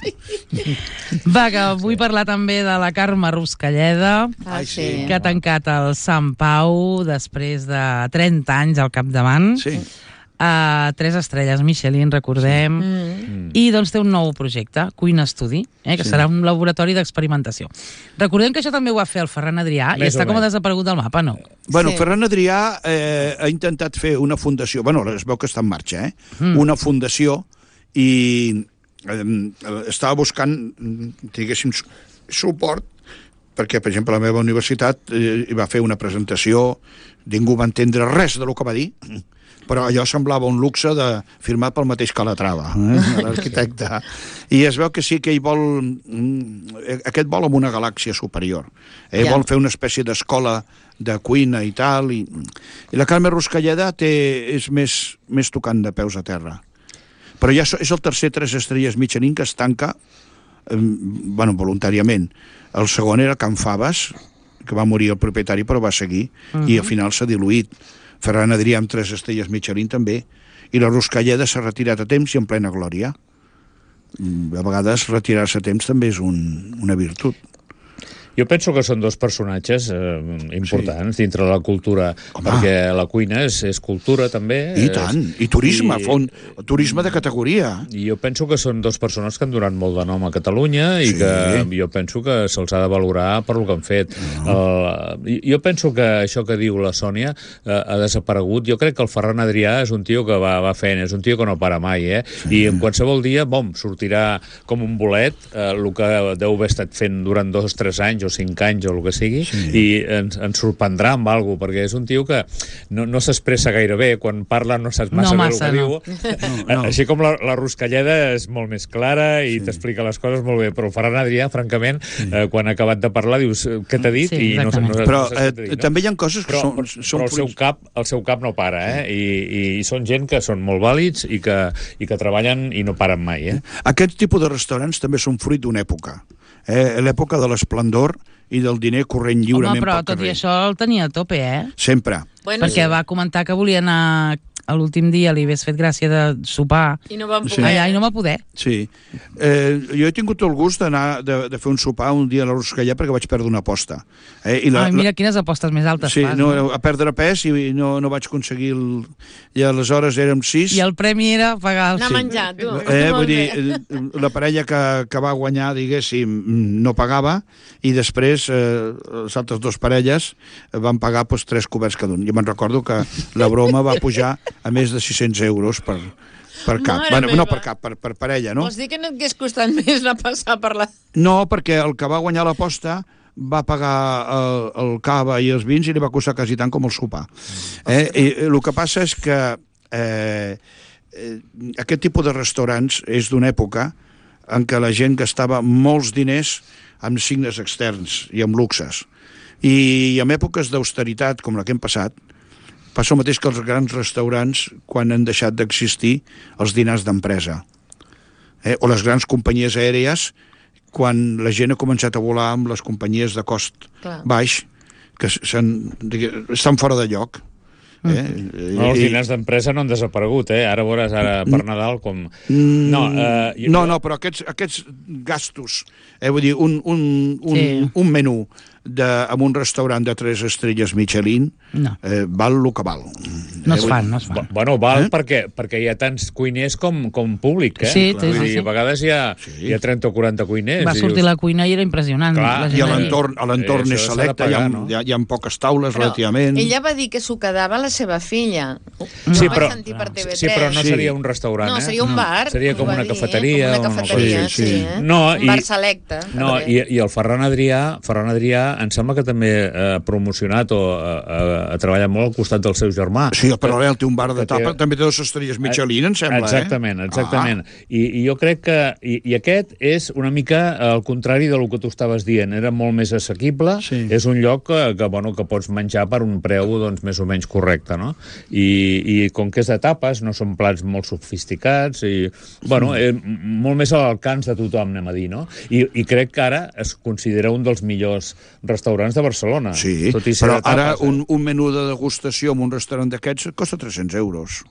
Va, que vull parlar també de la Carme Ruscalleda, Ah, Ai, sí. sí. que ha tancat el Sant Pau després de trenta anys al capdavant. Sí. A tres estrelles Michelin, recordem. Mm. I doncs té un nou projecte, Cuina Study, eh, que Sí. serà un laboratori d'experimentació. Recordem que això també ho va fer el Ferran Adrià i Més o està com a menys. desaparegut del mapa, no? Bueno, Sí. Ferran Adrià eh, ha intentat fer una fundació, bueno, es veu que està en marxa, eh? Mm. Una fundació i eh, estava buscant, diguéssim, su- suport perquè, per exemple, la meva universitat eh, hi va fer una presentació, ningú va entendre res del que va dir, però allò semblava un luxe de firmat pel mateix Calatrava, eh, l'arquitecte. I es veu que sí que ell vol... mm, Aquest vol amb una galàxia superior. Eh? Ja. Vol fer una espècie d'escola de cuina i tal. I, i la Carme Ruscalleda té, és més, més tocant de peus a terra. Però ja és el tercer tres estrelles Michelin que es tanca eh, bueno, voluntàriament. El segon era Can Faves, que va morir el propietari però va seguir, uh -huh. i al final s'ha diluït. Ferran Adrià amb tres estrelles Michelin també, i la Ruscalleda s'ha retirat a temps i en plena glòria. A vegades retirar-se a temps també és un, una virtut. Jo penso que són dos personatges eh, importants sí. dintre de la cultura, Home. perquè la cuina és, és cultura també. I tant, i turisme, I, fa un turisme de categoria. I jo penso que són dos persones que han donat molt de nom a Catalunya i Sí. que jo penso que se'ls ha de valorar per lo que han fet. No. Uh, jo penso que això que diu la Sònia uh, ha desaparegut. Jo crec que el Ferran Adrià és un tio que va, va fent, és un tio que no para mai, eh? Sí. I en qualsevol dia, bom, sortirà com un bolet, uh, el que deu haver estat fent durant dos o tres anys o cinc anys o el que sigui, sí. i ens, ens sorprendrà amb alguna cosa, perquè és un tio que no, no s'expressa gaire bé, quan parla no saps massa No bé massa, el que no. diu. No, no. Així com la, la Ruscalleda és molt més clara i sí. t'explica les coses molt bé, però el Ferran Adrià, francament, sí. eh, quan ha acabat de parlar dius què t'ha dit? Sí, I no, no, exactament. no, Però no saps eh, què t'ha dit, no? també hi ha coses que Però, són, però, són però el, seu fruits- cap, el seu cap no para, eh? I, i, i són gent que són molt vàlids i que, i que treballen i no paren mai, eh? Aquest tipus de restaurants també són fruit d'una època. Eh? L'època de l'esplendor i del diner corrent lliurement Home, però pel tot i carrer. això el tenia a tope, eh? Bueno, Sempre. Perquè va comentar que volia anar l'últim dia li hagués fet gràcia de sopar I no vam Sí. poder. allà i no va poder. Sí. Eh, jo he tingut el gust d'anar de, de fer un sopar un dia a la Ruscallà perquè vaig perdre una aposta. Eh? I Ai, mira quines apostes més altes sí, fas. no, No? a perdre pes i no, no vaig aconseguir... El... I aleshores érem sis. I el premi era pagar el... Anar a menjar, tu. Eh, Molt vull dir, bé. eh, la parella que, que va guanyar, diguéssim, no pagava, i després eh, les altres dues parelles van pagar pues, tres coberts cada un. Jo me'n recordo que la broma va pujar a més de sis-cents euros per, per cap. Mare Bueno, no meva. per cap, per, per parella, no? Vols dir que no et hagués costat més anar a passar per la... No, perquè el que va guanyar l'aposta va pagar el, el cava i els vins i li va costar quasi tant com el sopar. Eh? I el que passa és que eh, eh, aquest tipus de restaurants és d'una època en què la gent gastava molts diners amb signes externs i amb luxes. I en èpoques d'austeritat, com la que hem passat, passa el mateix que els grans restaurants quan han deixat d'existir els dinars d'empresa. Eh? O les grans companyies aèries quan la gent ha començat a volar amb les companyies de cost Clar. baix, que s'han, estan fora de lloc. Eh? No, els diners d'empresa no han desaparegut, eh? Ara veuràs, ara per Nadal, com... No, eh, jo... no, no, però aquests, aquests gastos, eh, vull dir, un, un, un, Sí. un menú de, en un restaurant de tres estrelles Michelin No. eh, val el que val. No Eh, es vull fan, dir, no es fan. Bueno, val Eh? perquè, perquè hi ha tants cuiners com, com públic, eh? Sí, Vull sí, sí, dir, sí. A vegades hi ha, Sí. hi ha trenta o quaranta cuiners. Va i sortir dius, la cuina i era impressionant. Clar, la gent I a allà. l'entorn a l'entorn Eh, és això s'ha de selecte, hi, ha, pagar, no? hi, ha, hi ha poques taules, Però relativament. ella va dir que s'ho quedava la seva filla. Sí, Ho però, vaig sentir per T V tres. sí, però no Sí. seria un restaurant, No, eh? seria un bar. Seria ho com va una dir, eh? cafeteria. Com una o una cosa cafeteria, així. sí. Sí, eh? No, un i- bar selecte. No, també. i, i el Ferran Adrià, Ferran Adrià em sembla que també ha promocionat o ha, ha, ha treballat molt al costat del seu germà. Sí, el Paral·lel té un bar de que té- tapa, també té dues estrelles Michelin, em sembla, Exactament, eh? exactament. I, I jo crec que... I, I aquest és una mica al contrari del que tu estaves dient. Era molt més assequible. Sí. És un lloc que, que, bueno, que pots menjar per un preu doncs, més o menys correcte, no? I, i com que és de tapes, no són plats molt sofisticats i, bueno, eh, molt més a l'alcance de tothom, anem a dir, no? I, I crec que ara es considera un dels millors restaurants de Barcelona. Sí, tot i ser però de tapes, ara eh? un, un menú de degustació en un restaurant d'aquests costa tres-cents euros.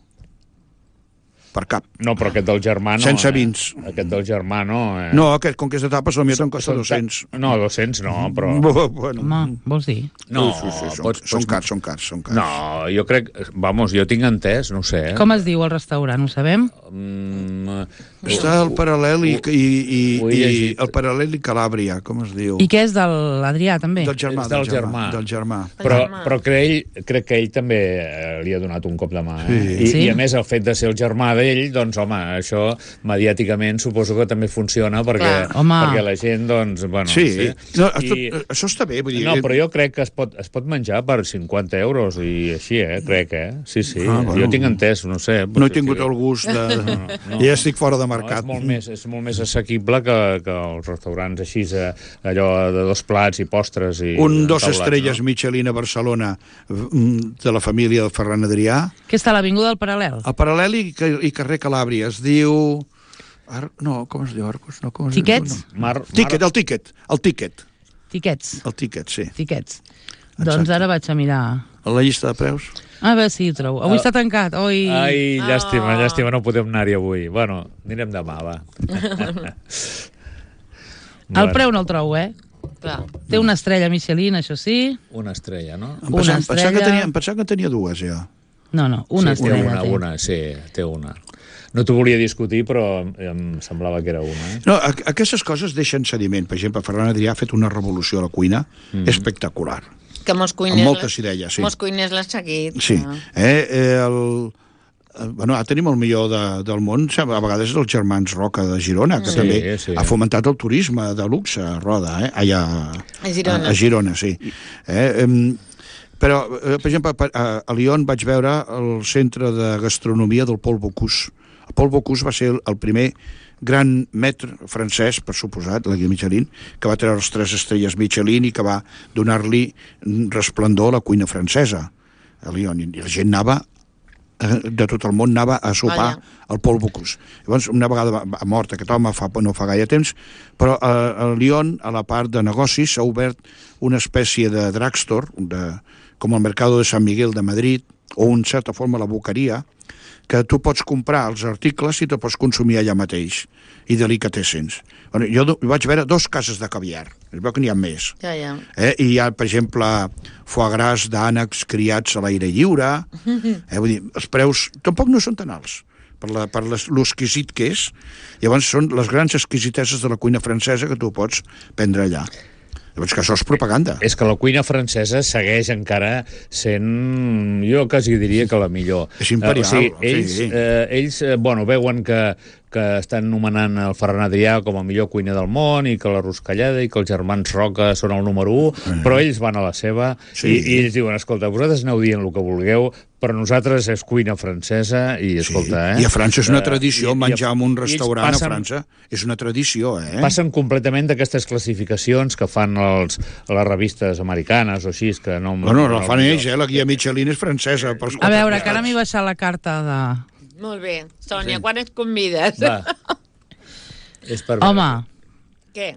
Per cap. No, però aquest del germà no. Sense eh? vins. Aquest del germà no. Eh? No, aquest, com que és de tapes, potser te'n costa Són- dos-cents. No, dos-cents no, però... Bueno, Home, vols dir? No, sí, sí, són, pots, són pots... cars, són cars, són cars. No, jo crec... Vamos, jo tinc entès, no ho sé. Eh? Com es diu el restaurant, ho sabem? Mm, Està el Paral·lel i, i, i, ho he i llegit. el Paral·lel i Calàbria, com es diu? I què és de l'Adrià, també? Del germà, És del del germà. germà. Del germà. Però, germà. però crec, ell, crec que ell també eh, li ha donat un cop de mà. Eh? Sí. I, Sí? I a més el fet de ser el germà d'ell, doncs home, això mediàticament suposo que també funciona perquè, Clar. Home. perquè la gent, doncs, bueno... Sí, no, I- I... això està bé. Vull dir, No, però jo crec que es pot, es pot menjar per cinquanta euros i així, eh? Crec, eh? Sí, sí. Ah, bueno. Jo tinc entès, no sé. no he potser tingut sí. el gust de... no. Ja estic fora de No, mercat. és, molt més, és molt més assequible que, que els restaurants així, eh, allò de dos plats i postres i... Un dos taulats, estrelles no? Michelin a Barcelona mm, de la família del Ferran Adrià. Que està a l'Avinguda del Paral·lel? A Paral·lel i, i carrer Calàbria. Es diu... Ar... No, com es diu? Arcos? No, com es Tiquets? Diu? Mar, No. Tiquet, el tiquet. El tiquet. Tiquets. El tiquet, sí. Tiquets. Doncs ara vaig a mirar... A la llista de preus. A veure si ho trobo. Avui està tancat. Oi... Ai, llàstima, Oh. llàstima, no podem anar-hi avui. Bueno, anirem demà, va. El preu no el trobo, eh? Clar. Té una estrella Michelin, això sí. Una estrella, no? Em Una pensava, em pensava, que estrella. tenia, em pensava que tenia dues, ja. No, no, una sí, té estrella. una, té. una, sí, té una. No t'ho volia discutir, però em semblava que era una. Eh? No, a- aquestes coses deixen sediment. Per exemple, Ferran Adrià ha fet una revolució a la cuina mm. espectacular. Que molts cuiners... Amb moltes idees, sí. Molts cuiners l'han seguit. Sí. clar. Eh, eh, el, el, bueno, ara tenim el millor de, del món, a vegades els germans Roca de Girona, que Sí, també sí. ha fomentat el turisme de luxe a Roda, eh? Allà, A Girona. A, a Girona, sí. Eh, em, però, eh, per exemple, a, a Lyon vaig veure el centre de gastronomia del Paul Bocuse. El Paul Bocuse va ser el, el primer gran maître francès, per suposat, la guia Michelin, que va treure les tres estrelles Michelin i que va donar-li resplendor a la cuina francesa a Lyon. I la gent anava eh, de tot el món anava a sopar Allà. al Paul Bocuse. Llavors, una vegada va, va mort aquest home, fa, no fa gaire temps, però a, a Lyon, a la part de negocis, s'ha obert una espècie de drugstore, de, com el Mercado de San Miguel de Madrid, o en certa forma la boqueria, que tu pots comprar els articles i te pots consumir allà mateix, i delicatessens. Bueno, jo vaig veure dos cases de caviar, es veu que n'hi ha més. Ja, ja. Eh? I hi ha, per exemple, foie gras d'ànecs criats a l'aire lliure. Eh? Vull dir, els preus tampoc no són tan alts per, la, per les, l'exquisit que és. Llavors són les grans exquisiteses de la cuina francesa que tu pots prendre allà. Llavors que això és propaganda. És que la cuina francesa segueix encara sent, jo quasi diria que la millor. És imperial. Uh, o sigui, ells, sí. eh, ells eh, bueno, veuen que, que estan nomenant el Ferran Adrià com a millor cuiner del món i que la Ruscalleda i que els germans Roca són el número u, mm. però ells van a la seva sí. i, i ells diuen, escolta, vosaltres aneu dient el que vulgueu, però nosaltres és cuina francesa i, escolta, sí. eh? I a França és una tradició, uh, menjar en un restaurant passen, a França és una tradició, eh? Passen completament d'aquestes classificacions que fan els, les revistes americanes o així, que no... No, no, no, la fan ells, eh? La guia Michelin és francesa. Pels a veure, que ara m'hi baixat la carta de... Molt bé. Sònia, Sí. quan et convides? Va. És per Home, Què?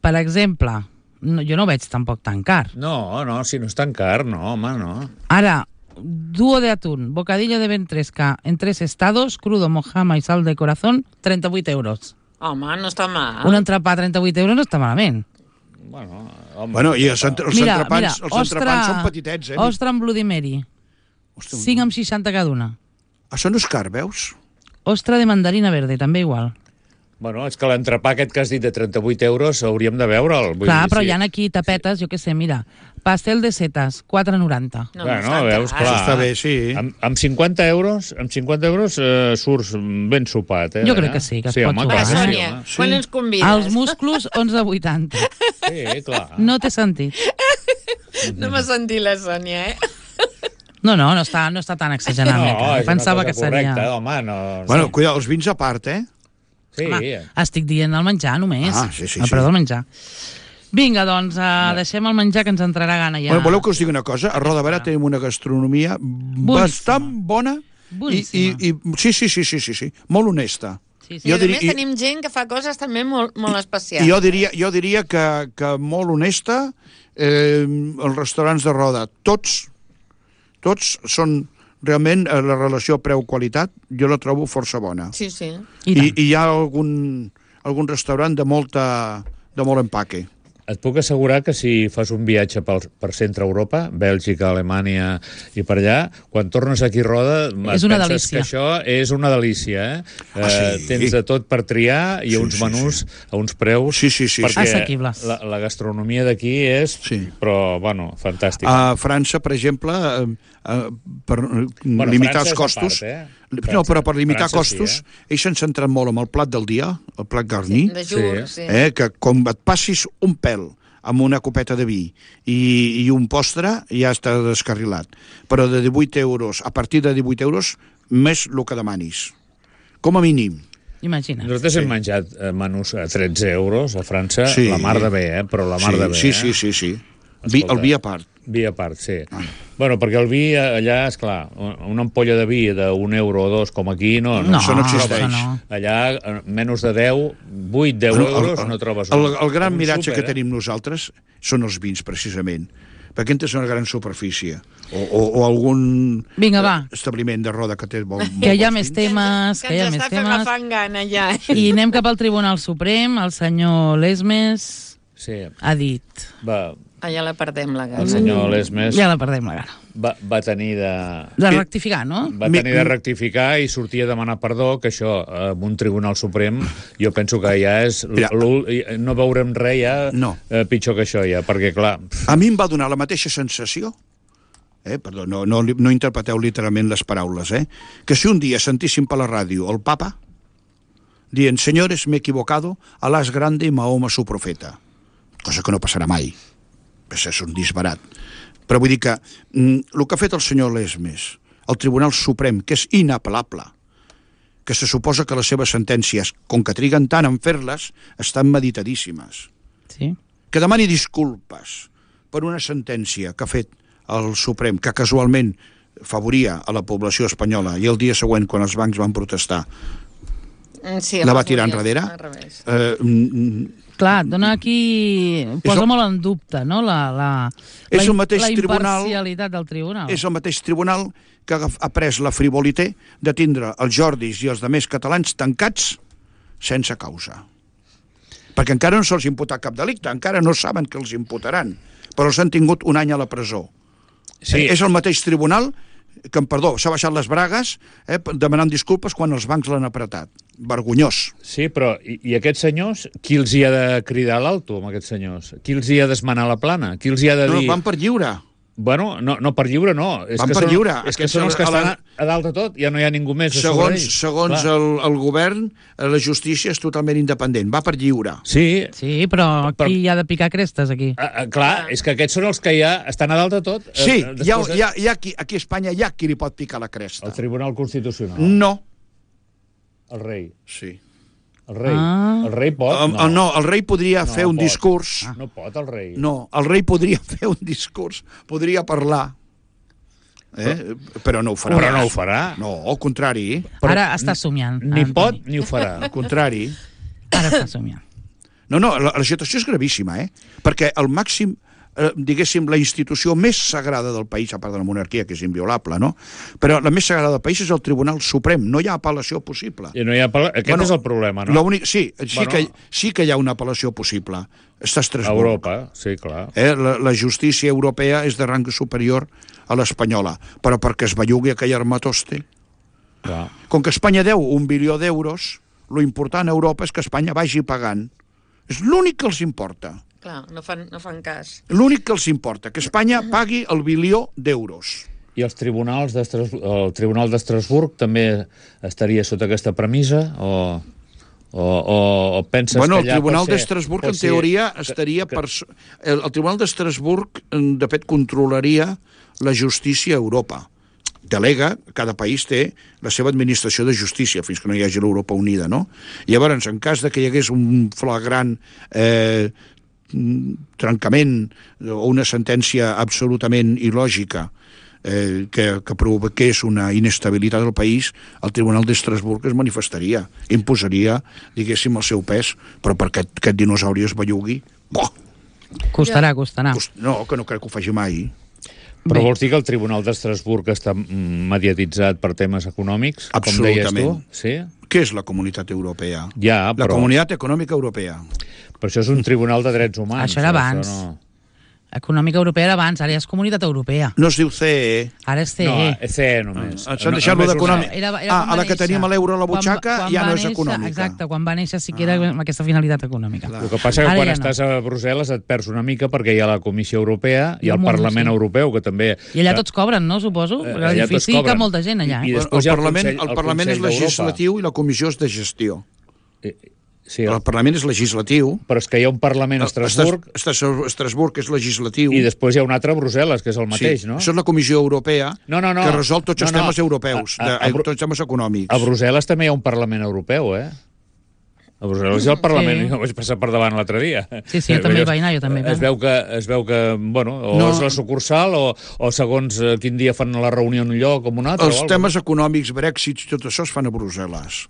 per exemple, no, jo no ho veig tampoc tan car. No, no, si no és tan car, no, home, no. Ara, dúo de atún, bocadillo de ventresca en tres estados, crudo, mojama y sal de corazón, trenta-vuit euros. Home, no està mal. Un entrepà a trenta-vuit euros no està malament. Bueno, home, Bueno, i els, entre, els Mira, entrepans, mira, els entrepans són petitets, eh? ostra amb Bloody Mary, Ostres, cinc amb seixanta cada una. això no és car, veus? Ostra de mandarina verde, també igual. Bueno, és que l'entrepà aquest que has dit de trenta-vuit euros hauríem de veure'l. Vull Clar, dir, però sí. hi ha aquí tapetes, jo què sé, mira, pastel de setas, quatre noranta. No, Bueno, no està veus, car. clar. Això està bé, sí. Amb, amb cinquanta euros, amb cinquanta euros eh, surts ben sopat, eh? Jo crec que sí, que es sí, pot home, sopar, Va, clar, eh? sí, Sònia, home. quan ens convides? Els músculs, onze vuitanta. Sí, clar. No té sentit. No m'ha sentit la Sònia, eh? No, no, no està, no està tan exagerat. No, No, és pensava una que cosa seria... correcta, home, no... Bueno, cuida, els vins a part, eh? Sí, Home, estic dient el menjar només. Ah, sí, sí, el sí. preu del menjar. Vinga, doncs, uh, deixem el menjar que ens entrarà gana ja. Bueno, voleu que us digui una cosa? A Roda Barà tenim una gastronomia bastant bona i, i, Boníssima. i sí, sí, sí, sí, sí, sí, molt honesta. Sí, sí. I, Jo a diria- més, tenim gent que fa coses també molt, molt especials. I jo diria, jo diria que, que molt honesta, eh, els restaurants de Roda, tots, tots són realment eh, la relació preu-qualitat, jo la trobo força bona. Sí, sí. I, I, tant. i hi ha algun, algun restaurant de, molta, de molt empaque. Et puc assegurar que si fas un viatge pel, per centre Europa, Bèlgica, Alemanya i per allà, quan tornes aquí a Roda, És una penses delícia. que això és una delícia, eh? Ah, eh sí? tens de tot per triar i Sí, uns sí, menús a uns preus... Sí, sí, sí, perquè sí. Assequibles. La, la gastronomia d'aquí és... Sí. Però, bueno, fantàstica. A França, per exemple, eh, eh, per eh, Bueno, limitar França és els a costos... part, eh? No, però per limitar França sí, costos, eh? ells s'han centrat molt en el plat del dia, el plat garni, De jur, Sí. sí. eh, que com et passis un pèl amb una copeta de vi i, i un postre, ja està descarrilat. Però de divuit euros, a partir de divuit euros, més el que demanis. Com a mínim. Imagina't. Nosaltres hem menjat eh, menús a tretze euros a França, Sí. la mar de bé, eh? Però la mar sí, de bé, sí, eh? sí, sí, sí. Vi, Escolta. el vi a part. Vi a part, sí. Ah. Bueno, perquè el vi allà, és clar, una ampolla de vi d'un euro o dos, com aquí, no, no, No, això no existeix. això no. Allà, eh, menys de deu, vuit, deu Bueno, el- euros, el- no trobes el, un, el gran un miratge súper, que tenim nosaltres són els vins, precisament. Perquè entres una gran superfície. O, o, o algun Vinga, va. eh, establiment de Roda que té molt, molt Que hi ha bons més vins. temes, que hi ha ens més està temes. agafant gana, ja. I anem cap al Tribunal Suprem. El senyor Lesmes Sí, ha dit... va, Ah, ja la perdem, la el gana. senyor Lesmes Ja la perdem, la gana. va, va tenir de... De rectificar, no? Va tenir de rectificar i sortir a demanar perdó, que això, eh, amb un Tribunal Suprem, jo penso que ja és... Mira. l'ul- no veurem res ja No. eh, pitjor que això, ja, perquè, clar... A mi em va donar la mateixa sensació, eh, perdó, no, no, no interpreteu literalment les paraules, eh, que si un dia sentíssim per la ràdio el papa dient, señores, me he equivocado, Alá es grande y Mahoma su profeta. Cosa que no passarà mai. Això és un disbarat. Però vull dir que mm, el que ha fet el senyor Lesmes, el Tribunal Suprem, que és inapel·lable, que se suposa que les seves sentències, com que triguen tant en fer-les, estan meditadíssimes. Sí. Que demani disculpes per una sentència que ha fet el Suprem, que casualment favoria a la població espanyola, i el dia següent, quan els bancs van protestar, Sí, la va les tirar volia enrere. al revés. Eh, mm, Clar, dona aquí... Posa el- molt en dubte, no?, la, la, És la, el mateix la tribunal- imparcialitat del tribunal. és el mateix tribunal que ha ha pres la frivolité de tindre els Jordis i els demés catalans tancats sense causa. Perquè encara no se'ls imputa cap delicte, encara no saben que els imputaran, però els han tingut un any a la presó. Sí. Eh, és el mateix tribunal que, em perdó, s'ha baixat les bragues eh, demanant disculpes quan els bancs l'han apretat. Vergonyós. Sí, però i, i aquests senyors, qui els hi ha de cridar a l'alto, amb aquests senyors? Qui els hi ha d'esmenar la plana? Qui els hi ha de No, dir... van per lliure. Bueno, no, no per lliure, no. És Van que per són, lliure. És que Aquests són els que a la- estan a, a dalt de tot, ja no hi ha ningú més a sobre Segons, ells. segons Clar. el, el govern, eh, la justícia és totalment independent. Va per lliure. Sí, Sí, però Per- qui hi ha de picar crestes, aquí? a, a, clar, és que aquests són els que ja estan a dalt de tot. eh, Sí, després hi ha, de- hi ha, hi ha qui, aquí a Espanya hi ha qui li pot picar la cresta. El Tribunal Constitucional. No. El rei. Sí. El rei. Ah. El rei pot? Um, no. no, el rei podria No fer un pot. discurs. No pot, el rei. No, el rei podria fer un discurs, podria parlar, eh? però no ho farà. Però no ho farà. No, al contrari, Però Ara està somiant. Ni Antoni. pot ni ho farà. al contrari. Ara està somiant. No, no, la, la situació és gravíssima, eh? Perquè el màxim, eh, diguéssim, la institució més sagrada del país, a part de la monarquia, que és inviolable, no? Però la més sagrada del país és el Tribunal Suprem. No hi ha apel·lació possible. I no hi ha parla... Aquest Bueno, és el problema, no? L'únic, sí, sí, Bueno. que, sí que hi ha una apel·lació possible. Està a A Estrasburg. Europa, sí, clar. Eh? La, la justícia europea és de rang superior a l'espanyola, però perquè es bellugui aquell armatoste. clar. Com que Espanya deu un bilió d'euros, lo important a Europa és que Espanya vagi pagant. És l'únic que els importa. Clar, no fan, no fan cas. L'únic que els importa, que Espanya pagui el bilió d'euros. I els tribunals d'Estrasburg, el Tribunal d'Estrasburg també estaria sota aquesta premissa o, o, o, o penses Bueno, que el allà Tribunal pot ser- d'Estrasburg, pot en ser- teoria, que- estaria que- per... El, el Tribunal d'Estrasburg, de fet, controlaria la justícia a Europa. Delega, cada país té la seva administració de justícia, fins que no hi hagi l'Europa Unida, no? Llavors, en cas de que hi hagués un flagrant eh, trencament o una sentència absolutament il·lògica eh, que, que provoqués una inestabilitat del país, el Tribunal d'Estrasburg es manifestaria, imposaria, diguéssim, el seu pes, però perquè aquest, aquest dinosauri es bellugui, boh, Costarà, costarà. cost- no, que no crec que ho faci mai. Però Bé. vols dir que el Tribunal d'Estrasburg està mm, mediatitzat per temes econòmics? Com deies Absolutament. tu? Sí? Què és la Comunitat Europea? Ja, La però, Comunitat Econòmica Europea. però això és un tribunal de drets humans. Això era abans. no... Econòmica Europea era abans, ara ja és Comunitat Europea. No es diu C E E. Ara és C E. No, E C E només. Ah, s'han No- deixat-lo només d'econòmic. una- Era, era Ah, quan a va la que néixer. teníem l'euro a la Quan- butxaca quan ja va no és néixer- econòmica. Exacte, quan va néixer sí que era amb aquesta finalitat econòmica. El que passa que Ara quan ja estàs a Brussel·les et perds una mica perquè hi ha la Comissió Europea, hi I ha un el munt, Parlament sí. Europeu, que també... I allà tots cobren, no, suposo? Eh, Perquè allà tots l'edifici hi cobren. cap molta gent allà. I Eh? El, després hi ha el Parlament, Consell- el el Parlament és Consell d'Europa. legislatiu i la Comissió és de gestió. Eh, Sí, El Parlament és legislatiu, però és que hi ha un Parlament a Estrasburg Estrasburg, Estrasburg és legislatiu. i després hi ha un altre a Brussel·les, que és el mateix, sí, no? Això és la Comissió Europea, No, no, no. que resol tots els No, no. temes europeus, A- a- de, a Bru- tots els temes econòmics. A Brussel·les també hi ha un Parlament Europeu, eh? A Brussel·les hi ha el Parlament, Sí. sí. Jo vaig passar per davant l'altre dia. Sí, sí, jo també hi vaig anar, jo també hi vaig Es veu que, es veu que bueno, o No. és la sucursal o, o segons eh, quin dia fan la reunió en un lloc o en un altre. Els o alguna temes econòmics, Brexit i tot això es fan a Brussel·les.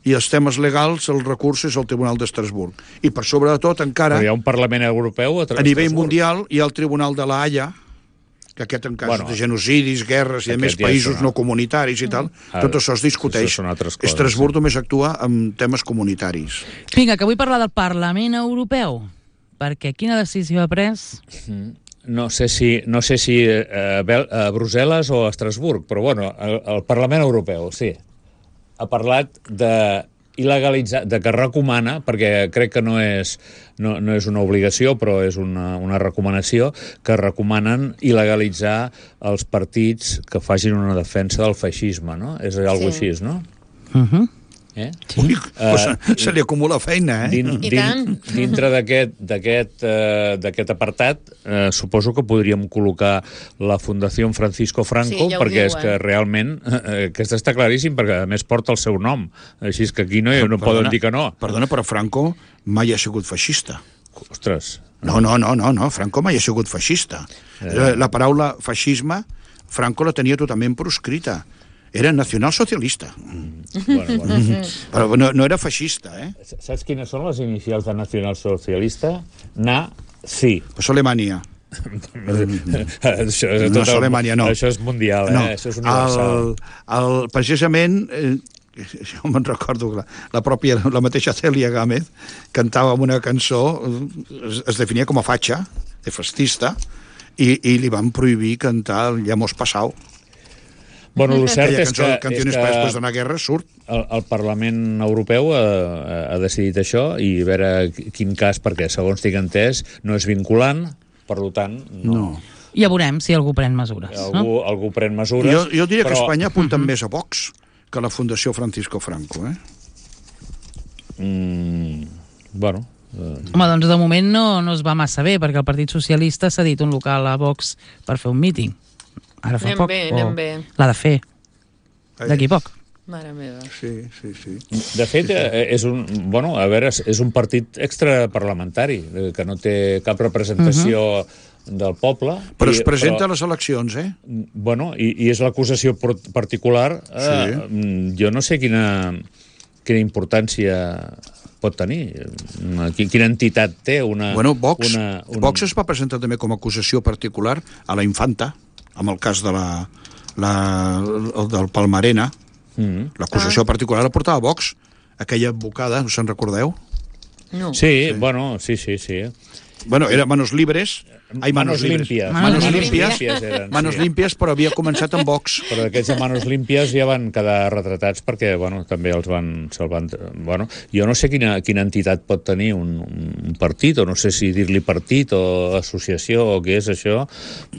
I els temes legals, el recurs és al Tribunal d'Estrasburg. I per sobre de tot, encara, Però hi ha un Parlament europeu a, a nivell mundial, hi ha el Tribunal de la Haia, que aquest en casos Bueno, de genocidis, guerres i de aquest més ja països és una- no comunitaris i tal, Ah, tot això es discuteix. això són altres coses, Estrasburg només actua en temes comunitaris. Vinga, que vull parlar del Parlament Europeu. Perquè quina decisió ha pres? No sé si, no sé si eh, a, Bel- a Brussel·les o a Estrasburg, però bueno, el, el Parlament Europeu, sí. Ha parlat de il·legalitzar, de que recomana, perquè crec que no és, no, no és una obligació, però és una, una recomanació, que recomanen il·legalitzar els partits que facin una defensa del feixisme, no? És alguna Sí. així, no? Uh -huh. Eh? Ui, uh, se, se li acumula feina, eh? Din, I din, tant. dintre d'aquest d'aquest eh, d'aquest apartat eh, suposo que podríem col·locar la Fundació Francisco Franco, Sí, ja ho perquè és diuen. que realment eh, aquest està claríssim, perquè a més porta el seu nom, així és que aquí no, no poden dir que no. Perdona, però Franco mai ha sigut feixista. Ostres, No, no, no, no, no. Franco mai ha sigut feixista. Eh. La paraula feixisme, Franco la tenia totalment proscrita. era nacionalsocialista. Bueno, bueno. Però no, no era feixista, eh? Saps quines són les inicials de nacionalsocialista? Na, sí. Pues Alemanya. això, és No tot és el- Alemanya, no. Això és mundial, eh? No. Això és universal. El, el, precisament, eh, jo me'n recordo que la, la pròpia, la mateixa Cèlia Gámez cantava una cançó, es, es definia com a fatxa, de festista, i, i li van prohibir cantar el Ya hemos pasado. Bueno, el cert Aquella és cançó que, de Canciones és para que después de una guerra surt. el, el Parlament Europeu ha, ha decidit això i a veure quin cas, perquè segons tinc entès no és vinculant, per tant no. No. Ja veurem si algú pren mesures. No? Algú, algú pren mesures. Jo, jo diria però... que Espanya apunta més a Vox que la Fundació Francisco Franco, eh? Mm, bueno... Eh... Home, doncs de moment no, no es va massa bé, perquè el Partit Socialista s'ha dit un local a Vox per fer un míting. Ara fa Anem poc. bé, o anem bé. l'ha de fer. D'aquí poc. Mare meva. Sí, sí, sí. De fet, eh, és un, bueno, a veure, és un partit extraparlamentari, eh, que no té cap representació uh-huh. del poble. Però i, es presenta però, a les eleccions, eh? Bueno, i, i és l'acusació particular. Eh, Sí. Jo no sé quina, quina importància pot tenir. Quina entitat té una... Bueno, Vox, una, un... Vox es va presentar també com a acusació particular a la Infanta, amb el cas de la, la, el del Palmarena. Mm. L'acusació Ah. particular la portava Vox, aquella advocada, no se'n recordeu? No. Sí, sí, bueno, sí, sí, sí. Bueno, era Manos Libres. Ai, Manos Libres. limpias. Manos Manos Limpias. limpias eren, Manos sí. Limpias, però havia començat amb Vox. Però aquests de Manos Limpias ja van quedar retratats perquè, bueno, també els van... Se'l van bueno, jo no sé quina, quina entitat pot tenir un, un partit, o no sé si dir-li partit o associació o què és això,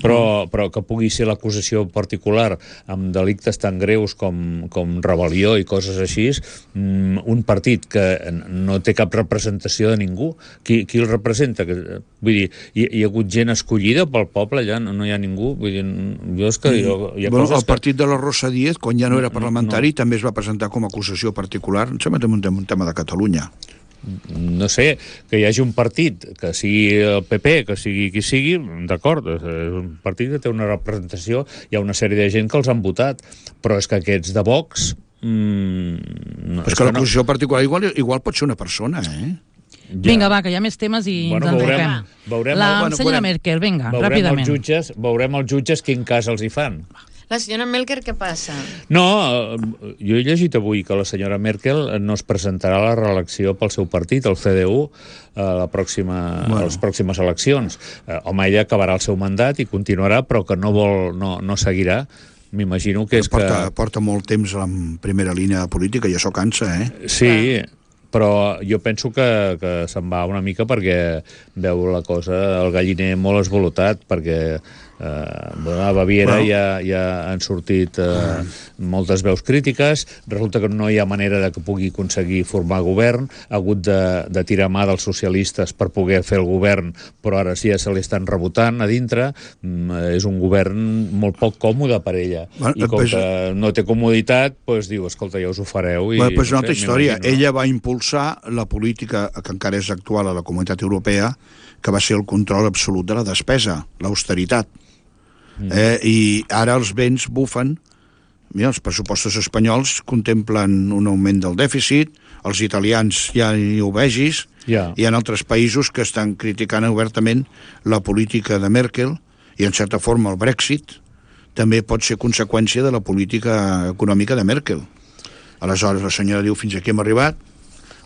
però, però que pugui ser l'acusació particular amb delictes tan greus com, com rebel·lió i coses així, un partit que no té cap representació de ningú. Qui, qui el representa? Que, vull dir, hi, hi ha hagut gent escollida pel poble, allà no, no hi ha ningú. Vull dir, jo és que... Jo, hi ha Bueno, coses el partit de la Rosa Díez, quan ja no era parlamentari, no. també es va presentar com a acusació particular. Em sembla que també un tema, un tema de Catalunya. No sé, que hi hagi un partit, que sigui el P P, que sigui qui sigui, d'acord, és un partit que té una representació, hi ha una sèrie de gent que els han votat, però és que aquests de Vox... Mmm, no, Però és que l'acusació particular igual, igual pot ser una persona, eh? Ja. Vinga, va, que hi ha més temes i Bueno, ens veurem, enroquem. veurem, La el- bueno, senyora veurem. Merkel, vinga, veurem ràpidament. els jutges, veurem els jutges quin cas els hi fan. La senyora Merkel, què passa? No, eh, jo he llegit avui que la senyora Merkel no es presentarà a la reelecció pel seu partit, el C D U, a, la pròxima, bueno. a les pròximes eleccions. Eh, home, ella acabarà el seu mandat i continuarà, però que no vol, no, no seguirà. M'imagino que és porta, que... porta molt temps en primera línia de política i això cansa, eh? Sí, però jo penso que, que se'n va una mica perquè veu la cosa, el galliner molt esvolotat, perquè eh, bueno, a Baviera Bueno. ja, ja han sortit eh, moltes veus crítiques, resulta que no hi ha manera de que pugui aconseguir formar govern, ha hagut de, de tirar mà dels socialistes per poder fer el govern, però ara sí ja se li estan rebotant a dintre, mm, és un govern molt poc còmode per ella, Bueno, i com pues- que no té comoditat, doncs diu, escolta, ja us ho fareu. I, Bueno, pues una no altra sé, història. m'imagino. Ella va impulsar la política que encara és actual a la Comunitat Europea, que va ser el control absolut de la despesa, l'austeritat. Mm. Eh, I ara els vents bufen. Mira, els pressupostos espanyols contemplen un augment del dèficit, els italians ja hi ho vegis, Ja. hi ha altres països que estan criticant obertament la política de Merkel, i en certa forma el Brexit també pot ser conseqüència de la política econòmica de Merkel. Aleshores la senyora diu, fins aquí hem arribat,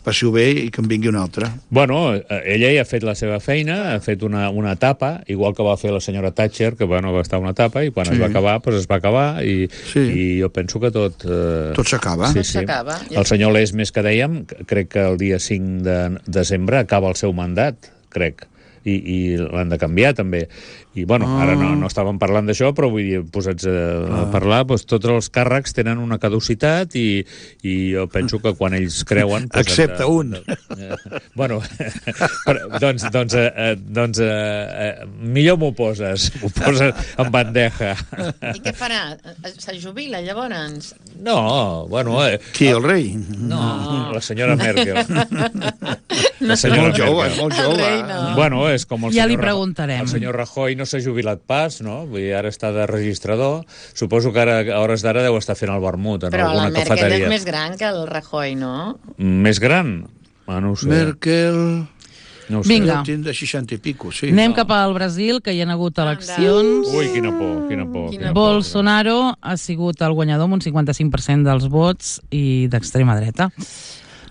passi-ho bé i que en vingui una altra. Bueno, eh, ella ja ha fet la seva feina, ha fet una, una etapa, igual que va fer la senyora Thatcher, que bueno, va estar una etapa, i quan Sí. es va acabar, doncs es va acabar, i, Sí. i jo penso que tot... Eh, Tot s'acaba. sí, Tot sí. s'acaba. El senyor Lesmes, que dèiem, crec que el dia cinc de desembre acaba el seu mandat, crec, i, i l'han de canviar també. I bueno, Ah. ara no, no estàvem parlant d'això, però vull dir, posats a, a parlar, doncs, tots els càrrecs tenen una caducitat i, i jo penso que quan ells creuen... Doncs, Excepte han de- un. Eh, bueno, però, doncs, doncs, eh, eh, doncs eh, eh, millor m'ho poses, m'ho poses en bandeja. I què farà? Se jubila, llavors? No, bueno... Eh, Qui, el rei? no, la senyora Merkel. No, senyor molt jove, Merkel. és molt El jove. rei, no. Bueno, és com el Ja li senyor, Ra- preguntarem. el senyor Rajoy no s'ha jubilat pas, no? Vull dir, ara està de registrador. Suposo que ara, a hores d'ara deu estar fent el vermut en Però la alguna Merkel cafeteria. és més gran que el Rajoy, no? Més gran? Ah, no ho sé. Merkel... No ho sé. Vinga. Deu tindre seixanta i pico, sí. Anem cap al Brasil, que hi ha hagut eleccions. Ui, quina por, quina por. Quina Quina por. Bolsonaro ha sigut el guanyador amb un cinquanta-cinc per cent dels vots i d'extrema dreta.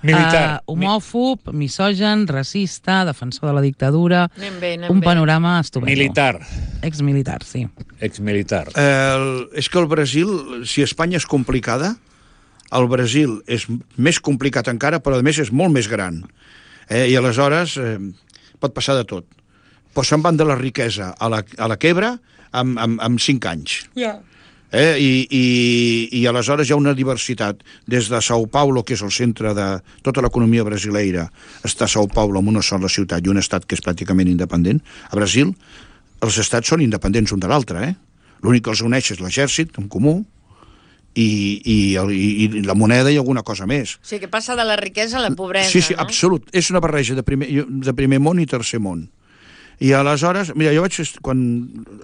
Militar. Uh, homòfob, misogen, racista, defensor de la dictadura... Anem bé, anem un bé. panorama estupendo. Militar. Exmilitar, sí. Exmilitar. El, és que el Brasil, si Espanya és complicada, el Brasil és més complicat encara, però a més és molt més gran. Eh? I aleshores eh, pot passar de tot. Però se'n van de la riquesa a la, a la quebra amb, amb, amb cinc anys. Ja. Eh? I, i, I aleshores hi ha una diversitat. Des de São Paulo, que és el centre de tota l'economia brasileira, està São Paulo amb una sola ciutat i un estat que és pràcticament independent. A Brasil, els estats són independents un de l'altre. Eh? L'únic que els uneix és l'exèrcit, en comú, i, i, el, i, i la moneda i alguna cosa més. O sigui, que passa de la riquesa a la pobresa, Sí, sí, no? absolut. És una barreja de primer, de primer món i tercer món. I aleshores, mira, jo vaig... Quan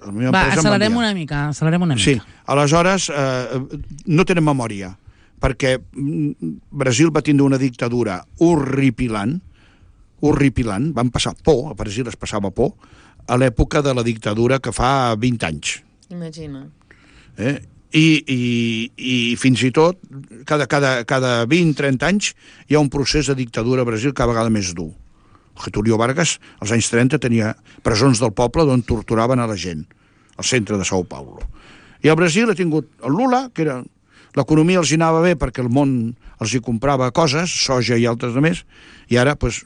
la meva Va, empresa em accelerem enviar- una mica, accelerem una mica. Sí, aleshores eh, no tenen memòria, perquè mm, Brasil va tindre una dictadura horripilant, horripilant, van passar por, a Brasil es passava por, a l'època de la dictadura que fa vint anys. Imagina. Eh? I, i, i fins i tot cada, cada, cada vint a trenta anys hi ha un procés de dictadura a Brasil cada vegada més dur. Getúlio Vargas als anys trenta tenia presons del poble on torturaven a la gent al centre de São Paulo. I al Brasil ha tingut el Lula, que era l'economia els hi anava bé perquè el món els hi comprava coses, soja i altres de més, i ara pues,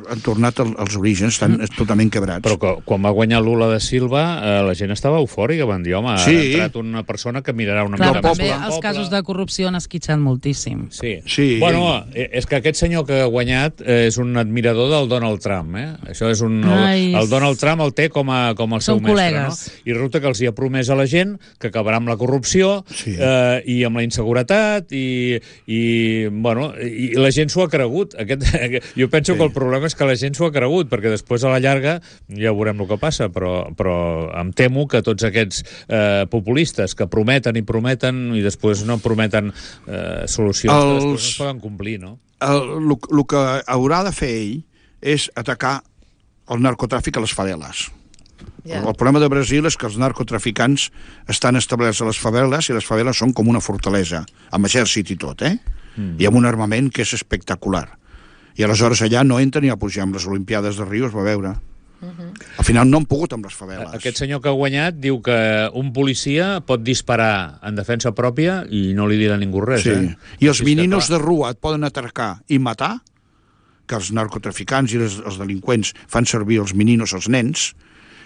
han tornat al, als orígens, estan mm. totalment quebrats. Però que, quan va guanyar Lula da Silva, eh, la gent estava eufòrica, van dir, home, Sí. ha entrat una persona que mirarà una Clar, mica però més també pel els poble. casos de corrupció han esquitxat moltíssim. Sí. Sí. Bueno, eh, és que aquest senyor que ha guanyat eh, és un admirador del Donald Trump, eh? Això és un... Ai, El, el Donald Trump el té com a, com el seu Són mestre, col·legues. no? I resulta que els hi ha promès a la gent que acabarà amb la corrupció Sí. eh, i amb la inseguretat i, i bueno, i la gent s'ho ha cregut. Aquest, jo penso Sí. que el problema és que la gent s'ho ha cregut, perquè després a la llarga ja veurem el que passa, però, però em temo que tots aquests eh, populistes que prometen i prometen i després no prometen eh, solucions Els... que després no Els- es poden complir, no? El, el que haurà de fer ell és atacar el narcotràfic a les faveles. Ja. El, el problema de Brasil és que els narcotraficants estan establerts a les faveles i les faveles són com una fortalesa, amb exèrcit i tot, eh? Mm. I amb un armament que és espectacular. I aleshores allà no entra ni a pujar amb les Olimpiades de Rio, es va veure. Uh-huh. Al final no han pogut amb les faveles. Aquest senyor que ha guanyat diu que un policia pot disparar en defensa pròpia i no li dirà ningú res, Sí. eh? I els Sí, és que, meninos clar, de rua et poden atracar i matar, que els narcotraficants i els, els delinqüents fan servir els meninos, els nens,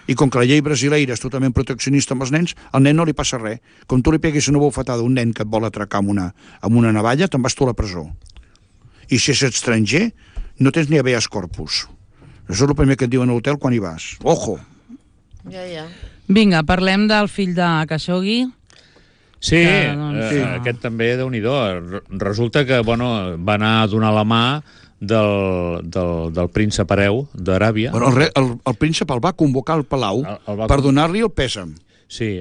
i com que la llei brasileira és totalment proteccionista amb els nens, al nen no li passa res. Com tu li peguis una bufetada a un nen que et vol atracar amb una, amb una navalla, te'n vas tu a la presó. I si és estranger, no tens ni habeas corpus. Això és el primer que et diuen a l'hotel quan hi vas. Ojo! Ja, ja. Vinga, parlem del fill de Khashoggi. Sí, Que, doncs, eh, sí. aquest també, Déu-n'hi-do. Resulta que, bueno, va anar a donar la mà del, del, del príncep hereu d'Aràbia. Bueno, el, re, el, el príncep el va convocar al Palau El- el va per con- donar-li el pèsam. Sí.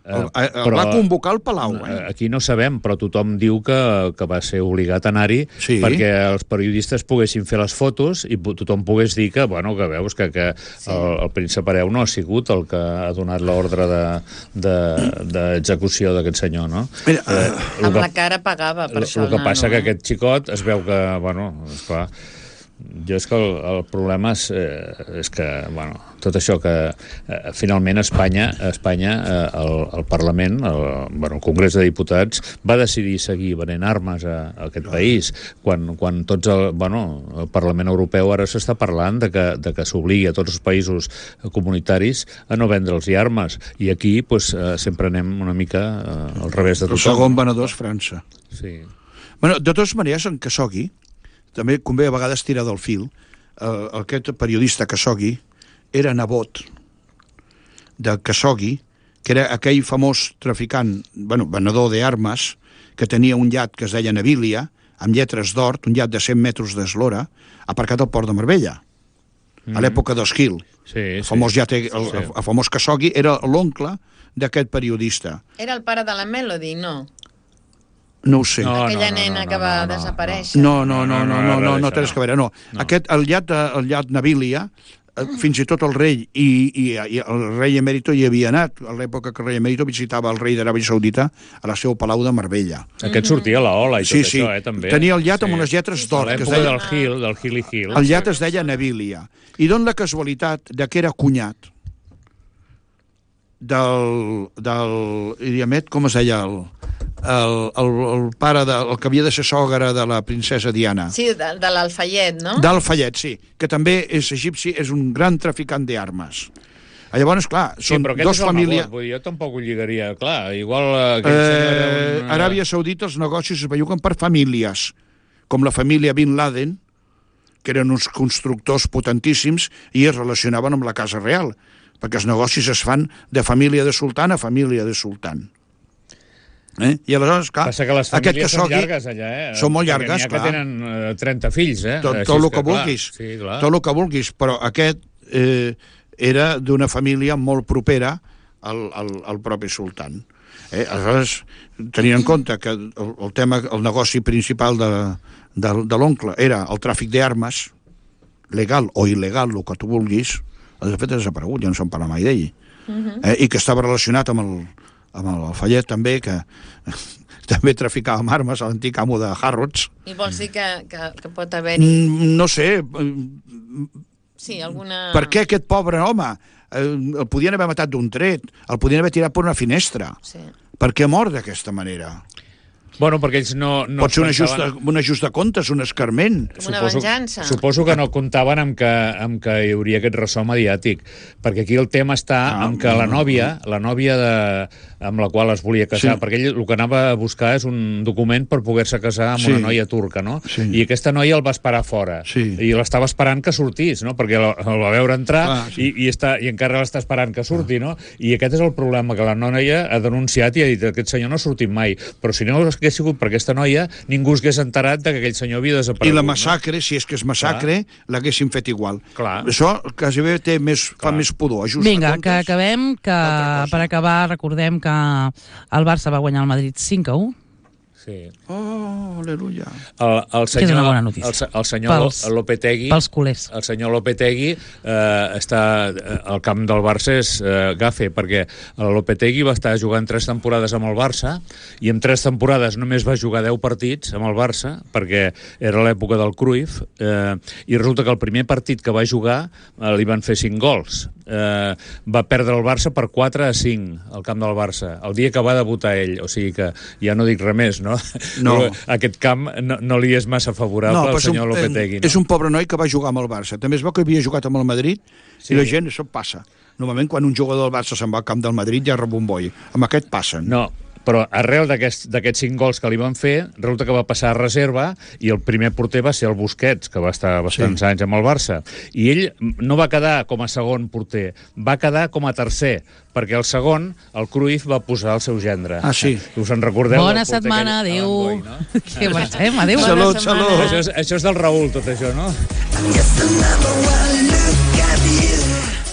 El, el, el va convocar al Palau. Eh? Aquí no sabem, però tothom diu que, que va ser obligat a anar-hi Sí. perquè els periodistes poguessin fer les fotos i po- tothom pogués dir que, bueno, que veus que, que Sí. el, el príncep hereu no ha sigut el que ha donat l'ordre d'execució de, de, d'aquest senyor, no? Mira, Eh, el Amb que- la cara pagava, per el, això, el que el passa nano, que eh? aquest xicot es veu que, bueno, esclar, jo és que el, el problema és, eh, és que, bueno, tot això que eh, finalment Espanya, Espanya eh, el, el Parlament, el, bueno, el Congrés de Diputats, va decidir seguir venent armes a, a aquest país, quan, quan tots el, bueno, el Parlament Europeu ara s'està parlant de que, de que s'obligui a tots els països comunitaris a no vendre'ls armes, i aquí pues, eh, sempre anem una mica eh, al revés de el tothom. segon venedor és França. Sí. Bueno, de totes maneres, en Khashoggi, també convé a vegades tirar del fil, eh, aquest periodista Khashoggi era nebot de Khashoggi, que era aquell famós traficant, bueno, venedor d'armes, que tenia un llat que es deia Nabilia, amb lletres d'or, un iat de cent metres d'eslora, aparcat al port de Marbella, mm. a l'època d'Esquil. Sí, el famós sí. iate, el, sí. el famós Casogui era l'oncle d'aquest periodista. Era el pare de la Melody, no? No ho sé. No, Aquella no, no, nena no, que va no, no, desaparèixer. No, no, no, no, no, no, no té res a veure, no. No. Aquest, el iat, el iat Nabilia, fins i tot el rei i, i, i el rei emèrito hi havia anat, a l'època que el rei emèrito visitava el rei d'Aràbia Saudita a la seu palau de Marbella. Aquest sortia a la Ola i tot Sí, sí. això, eh, també. Tenia el iat sí. amb unes lletres A d'or. que es l'època deia- del Hill, del Hilly Hill. El iat es deia Nabilia. I don la casualitat de que era cunyat del... del Iriamet, com es deia? El, el, el, el pare, de, el que havia de ser sogre de la princesa Diana. Sí, de, de l'Alfayet, no? D'Alfayet, sí, que també és egipci, és un gran traficant d'armes. Llavors, clar, Sí, són però aquest dos és el famílies... nebot, vull dir, jo tampoc ho lligaria. Clar, igual eh, aquell senyor era Eh, un... Aràbia Saudita els negocis es belluguen per famílies, com la família Bin Laden, que eren uns constructors potentíssims i es relacionaven amb la Casa Real, perquè els negocis es fan de família de sultan a família de sultan. Eh? I aleshores, clar, Passa que les aquest famílies són Khashoggi llargues allà, eh? són molt Perquè llargues, n'hi ha clar. que tenen eh, trenta fills, eh? Tot, Així tot és el que clar, vulguis, Sí, clar. tot el que vulguis, però aquest eh, era d'una família molt propera al, al, al propi sultan. Eh? Aleshores, tenint en compte que el, el tema, el negoci principal de, de, de l'oncle era el tràfic d'armes, legal o il·legal, el que tu vulguis, de fet ha desaparegut, ja no se'n parla mai d'ell, Uh-huh. eh? i que estava relacionat amb el, amb el Fallet també, que també traficava amb armes a l'antic amo de Harrods. I vols dir que, que, que pot haver-hi... Mm, no sé, eh, Sí, alguna... per què aquest pobre home eh, el podien haver matat d'un tret, el podien haver tirat per una finestra? Sí. Per què mor d'aquesta manera? Bueno, perquè ells no... no Pot ser un ajust, pensaven- de, un ajust de comptes, un escarment. Com una venjança. Suposo que no comptaven amb que, amb que hi hauria aquest ressò mediàtic, perquè aquí el tema està Ah, amb que la nòvia, la nòvia de, amb la qual es volia casar, Sí. perquè ell el que anava a buscar és un document per poder-se casar amb Sí. una noia turca, no? Sí. I aquesta noia el va esperar fora, Sí. i l'estava esperant que sortís, no? Perquè el, el va veure entrar Clar, sí. i, i, està, i encara l'està esperant que surti, no? I aquest és el problema, que la noia ha denunciat i ha dit aquest senyor no ha sortit mai, però si no hagués sigut per aquesta noia, ningú s'hagués enterat que aquell senyor havia desaparegut. I la no? massacre, si és que és massacre, l'haguessin fet igual. Clar. Això quasi bé té més, fa Clar. més pudor. Ajust Vinga, de que comptes. acabem, que Altra cosa. per acabar recordem que el Barça va guanyar el Madrid cinc a u. Sí. Oh, aleluia. El, el senyor, Que és una bona notícia. El, se- el senyor Pels- Lopetegui, pels culers. el senyor Lopetegui eh, està eh, al camp del Barça és eh, gafe, perquè el Lopetegui va estar jugant tres temporades amb el Barça i en tres temporades només va jugar deu partits amb el Barça, perquè era l'època del Cruyff, eh, i resulta que el primer partit que va jugar eh, li van fer cinc gols. Eh, va perdre el Barça per quatre a cinc al camp del Barça, el dia que va debutar ell, o sigui que ja no dic res més, no? No. Aquest camp no, no li és massa favorable però al és senyor un, Lopetegui, eh, no? és un pobre noi que va jugar amb el Barça. També es veu que havia jugat amb el Madrid Sí. i la gent, això passa. Normalment quan un jugador del Barça se'n va al camp del Madrid ja rep un boi. Amb aquest passen. No, però arrel d'aquests d'aquests cinc gols que li van fer, resulta que va passar a reserva i el primer porter va ser el Busquets, que va estar bastants Sí. anys amb el Barça. I ell no va quedar com a segon porter, va quedar com a tercer, perquè el segon, el Cruyff, va posar el seu gendre. Ah, sí. Us en recordeu? Bona del porter setmana, aquell, adéu. Alan Boy, no? Que marxem, adéu. Bona Salut, setmana. salut. Això és, això és del Raül, tot això, no? Just another one look at you.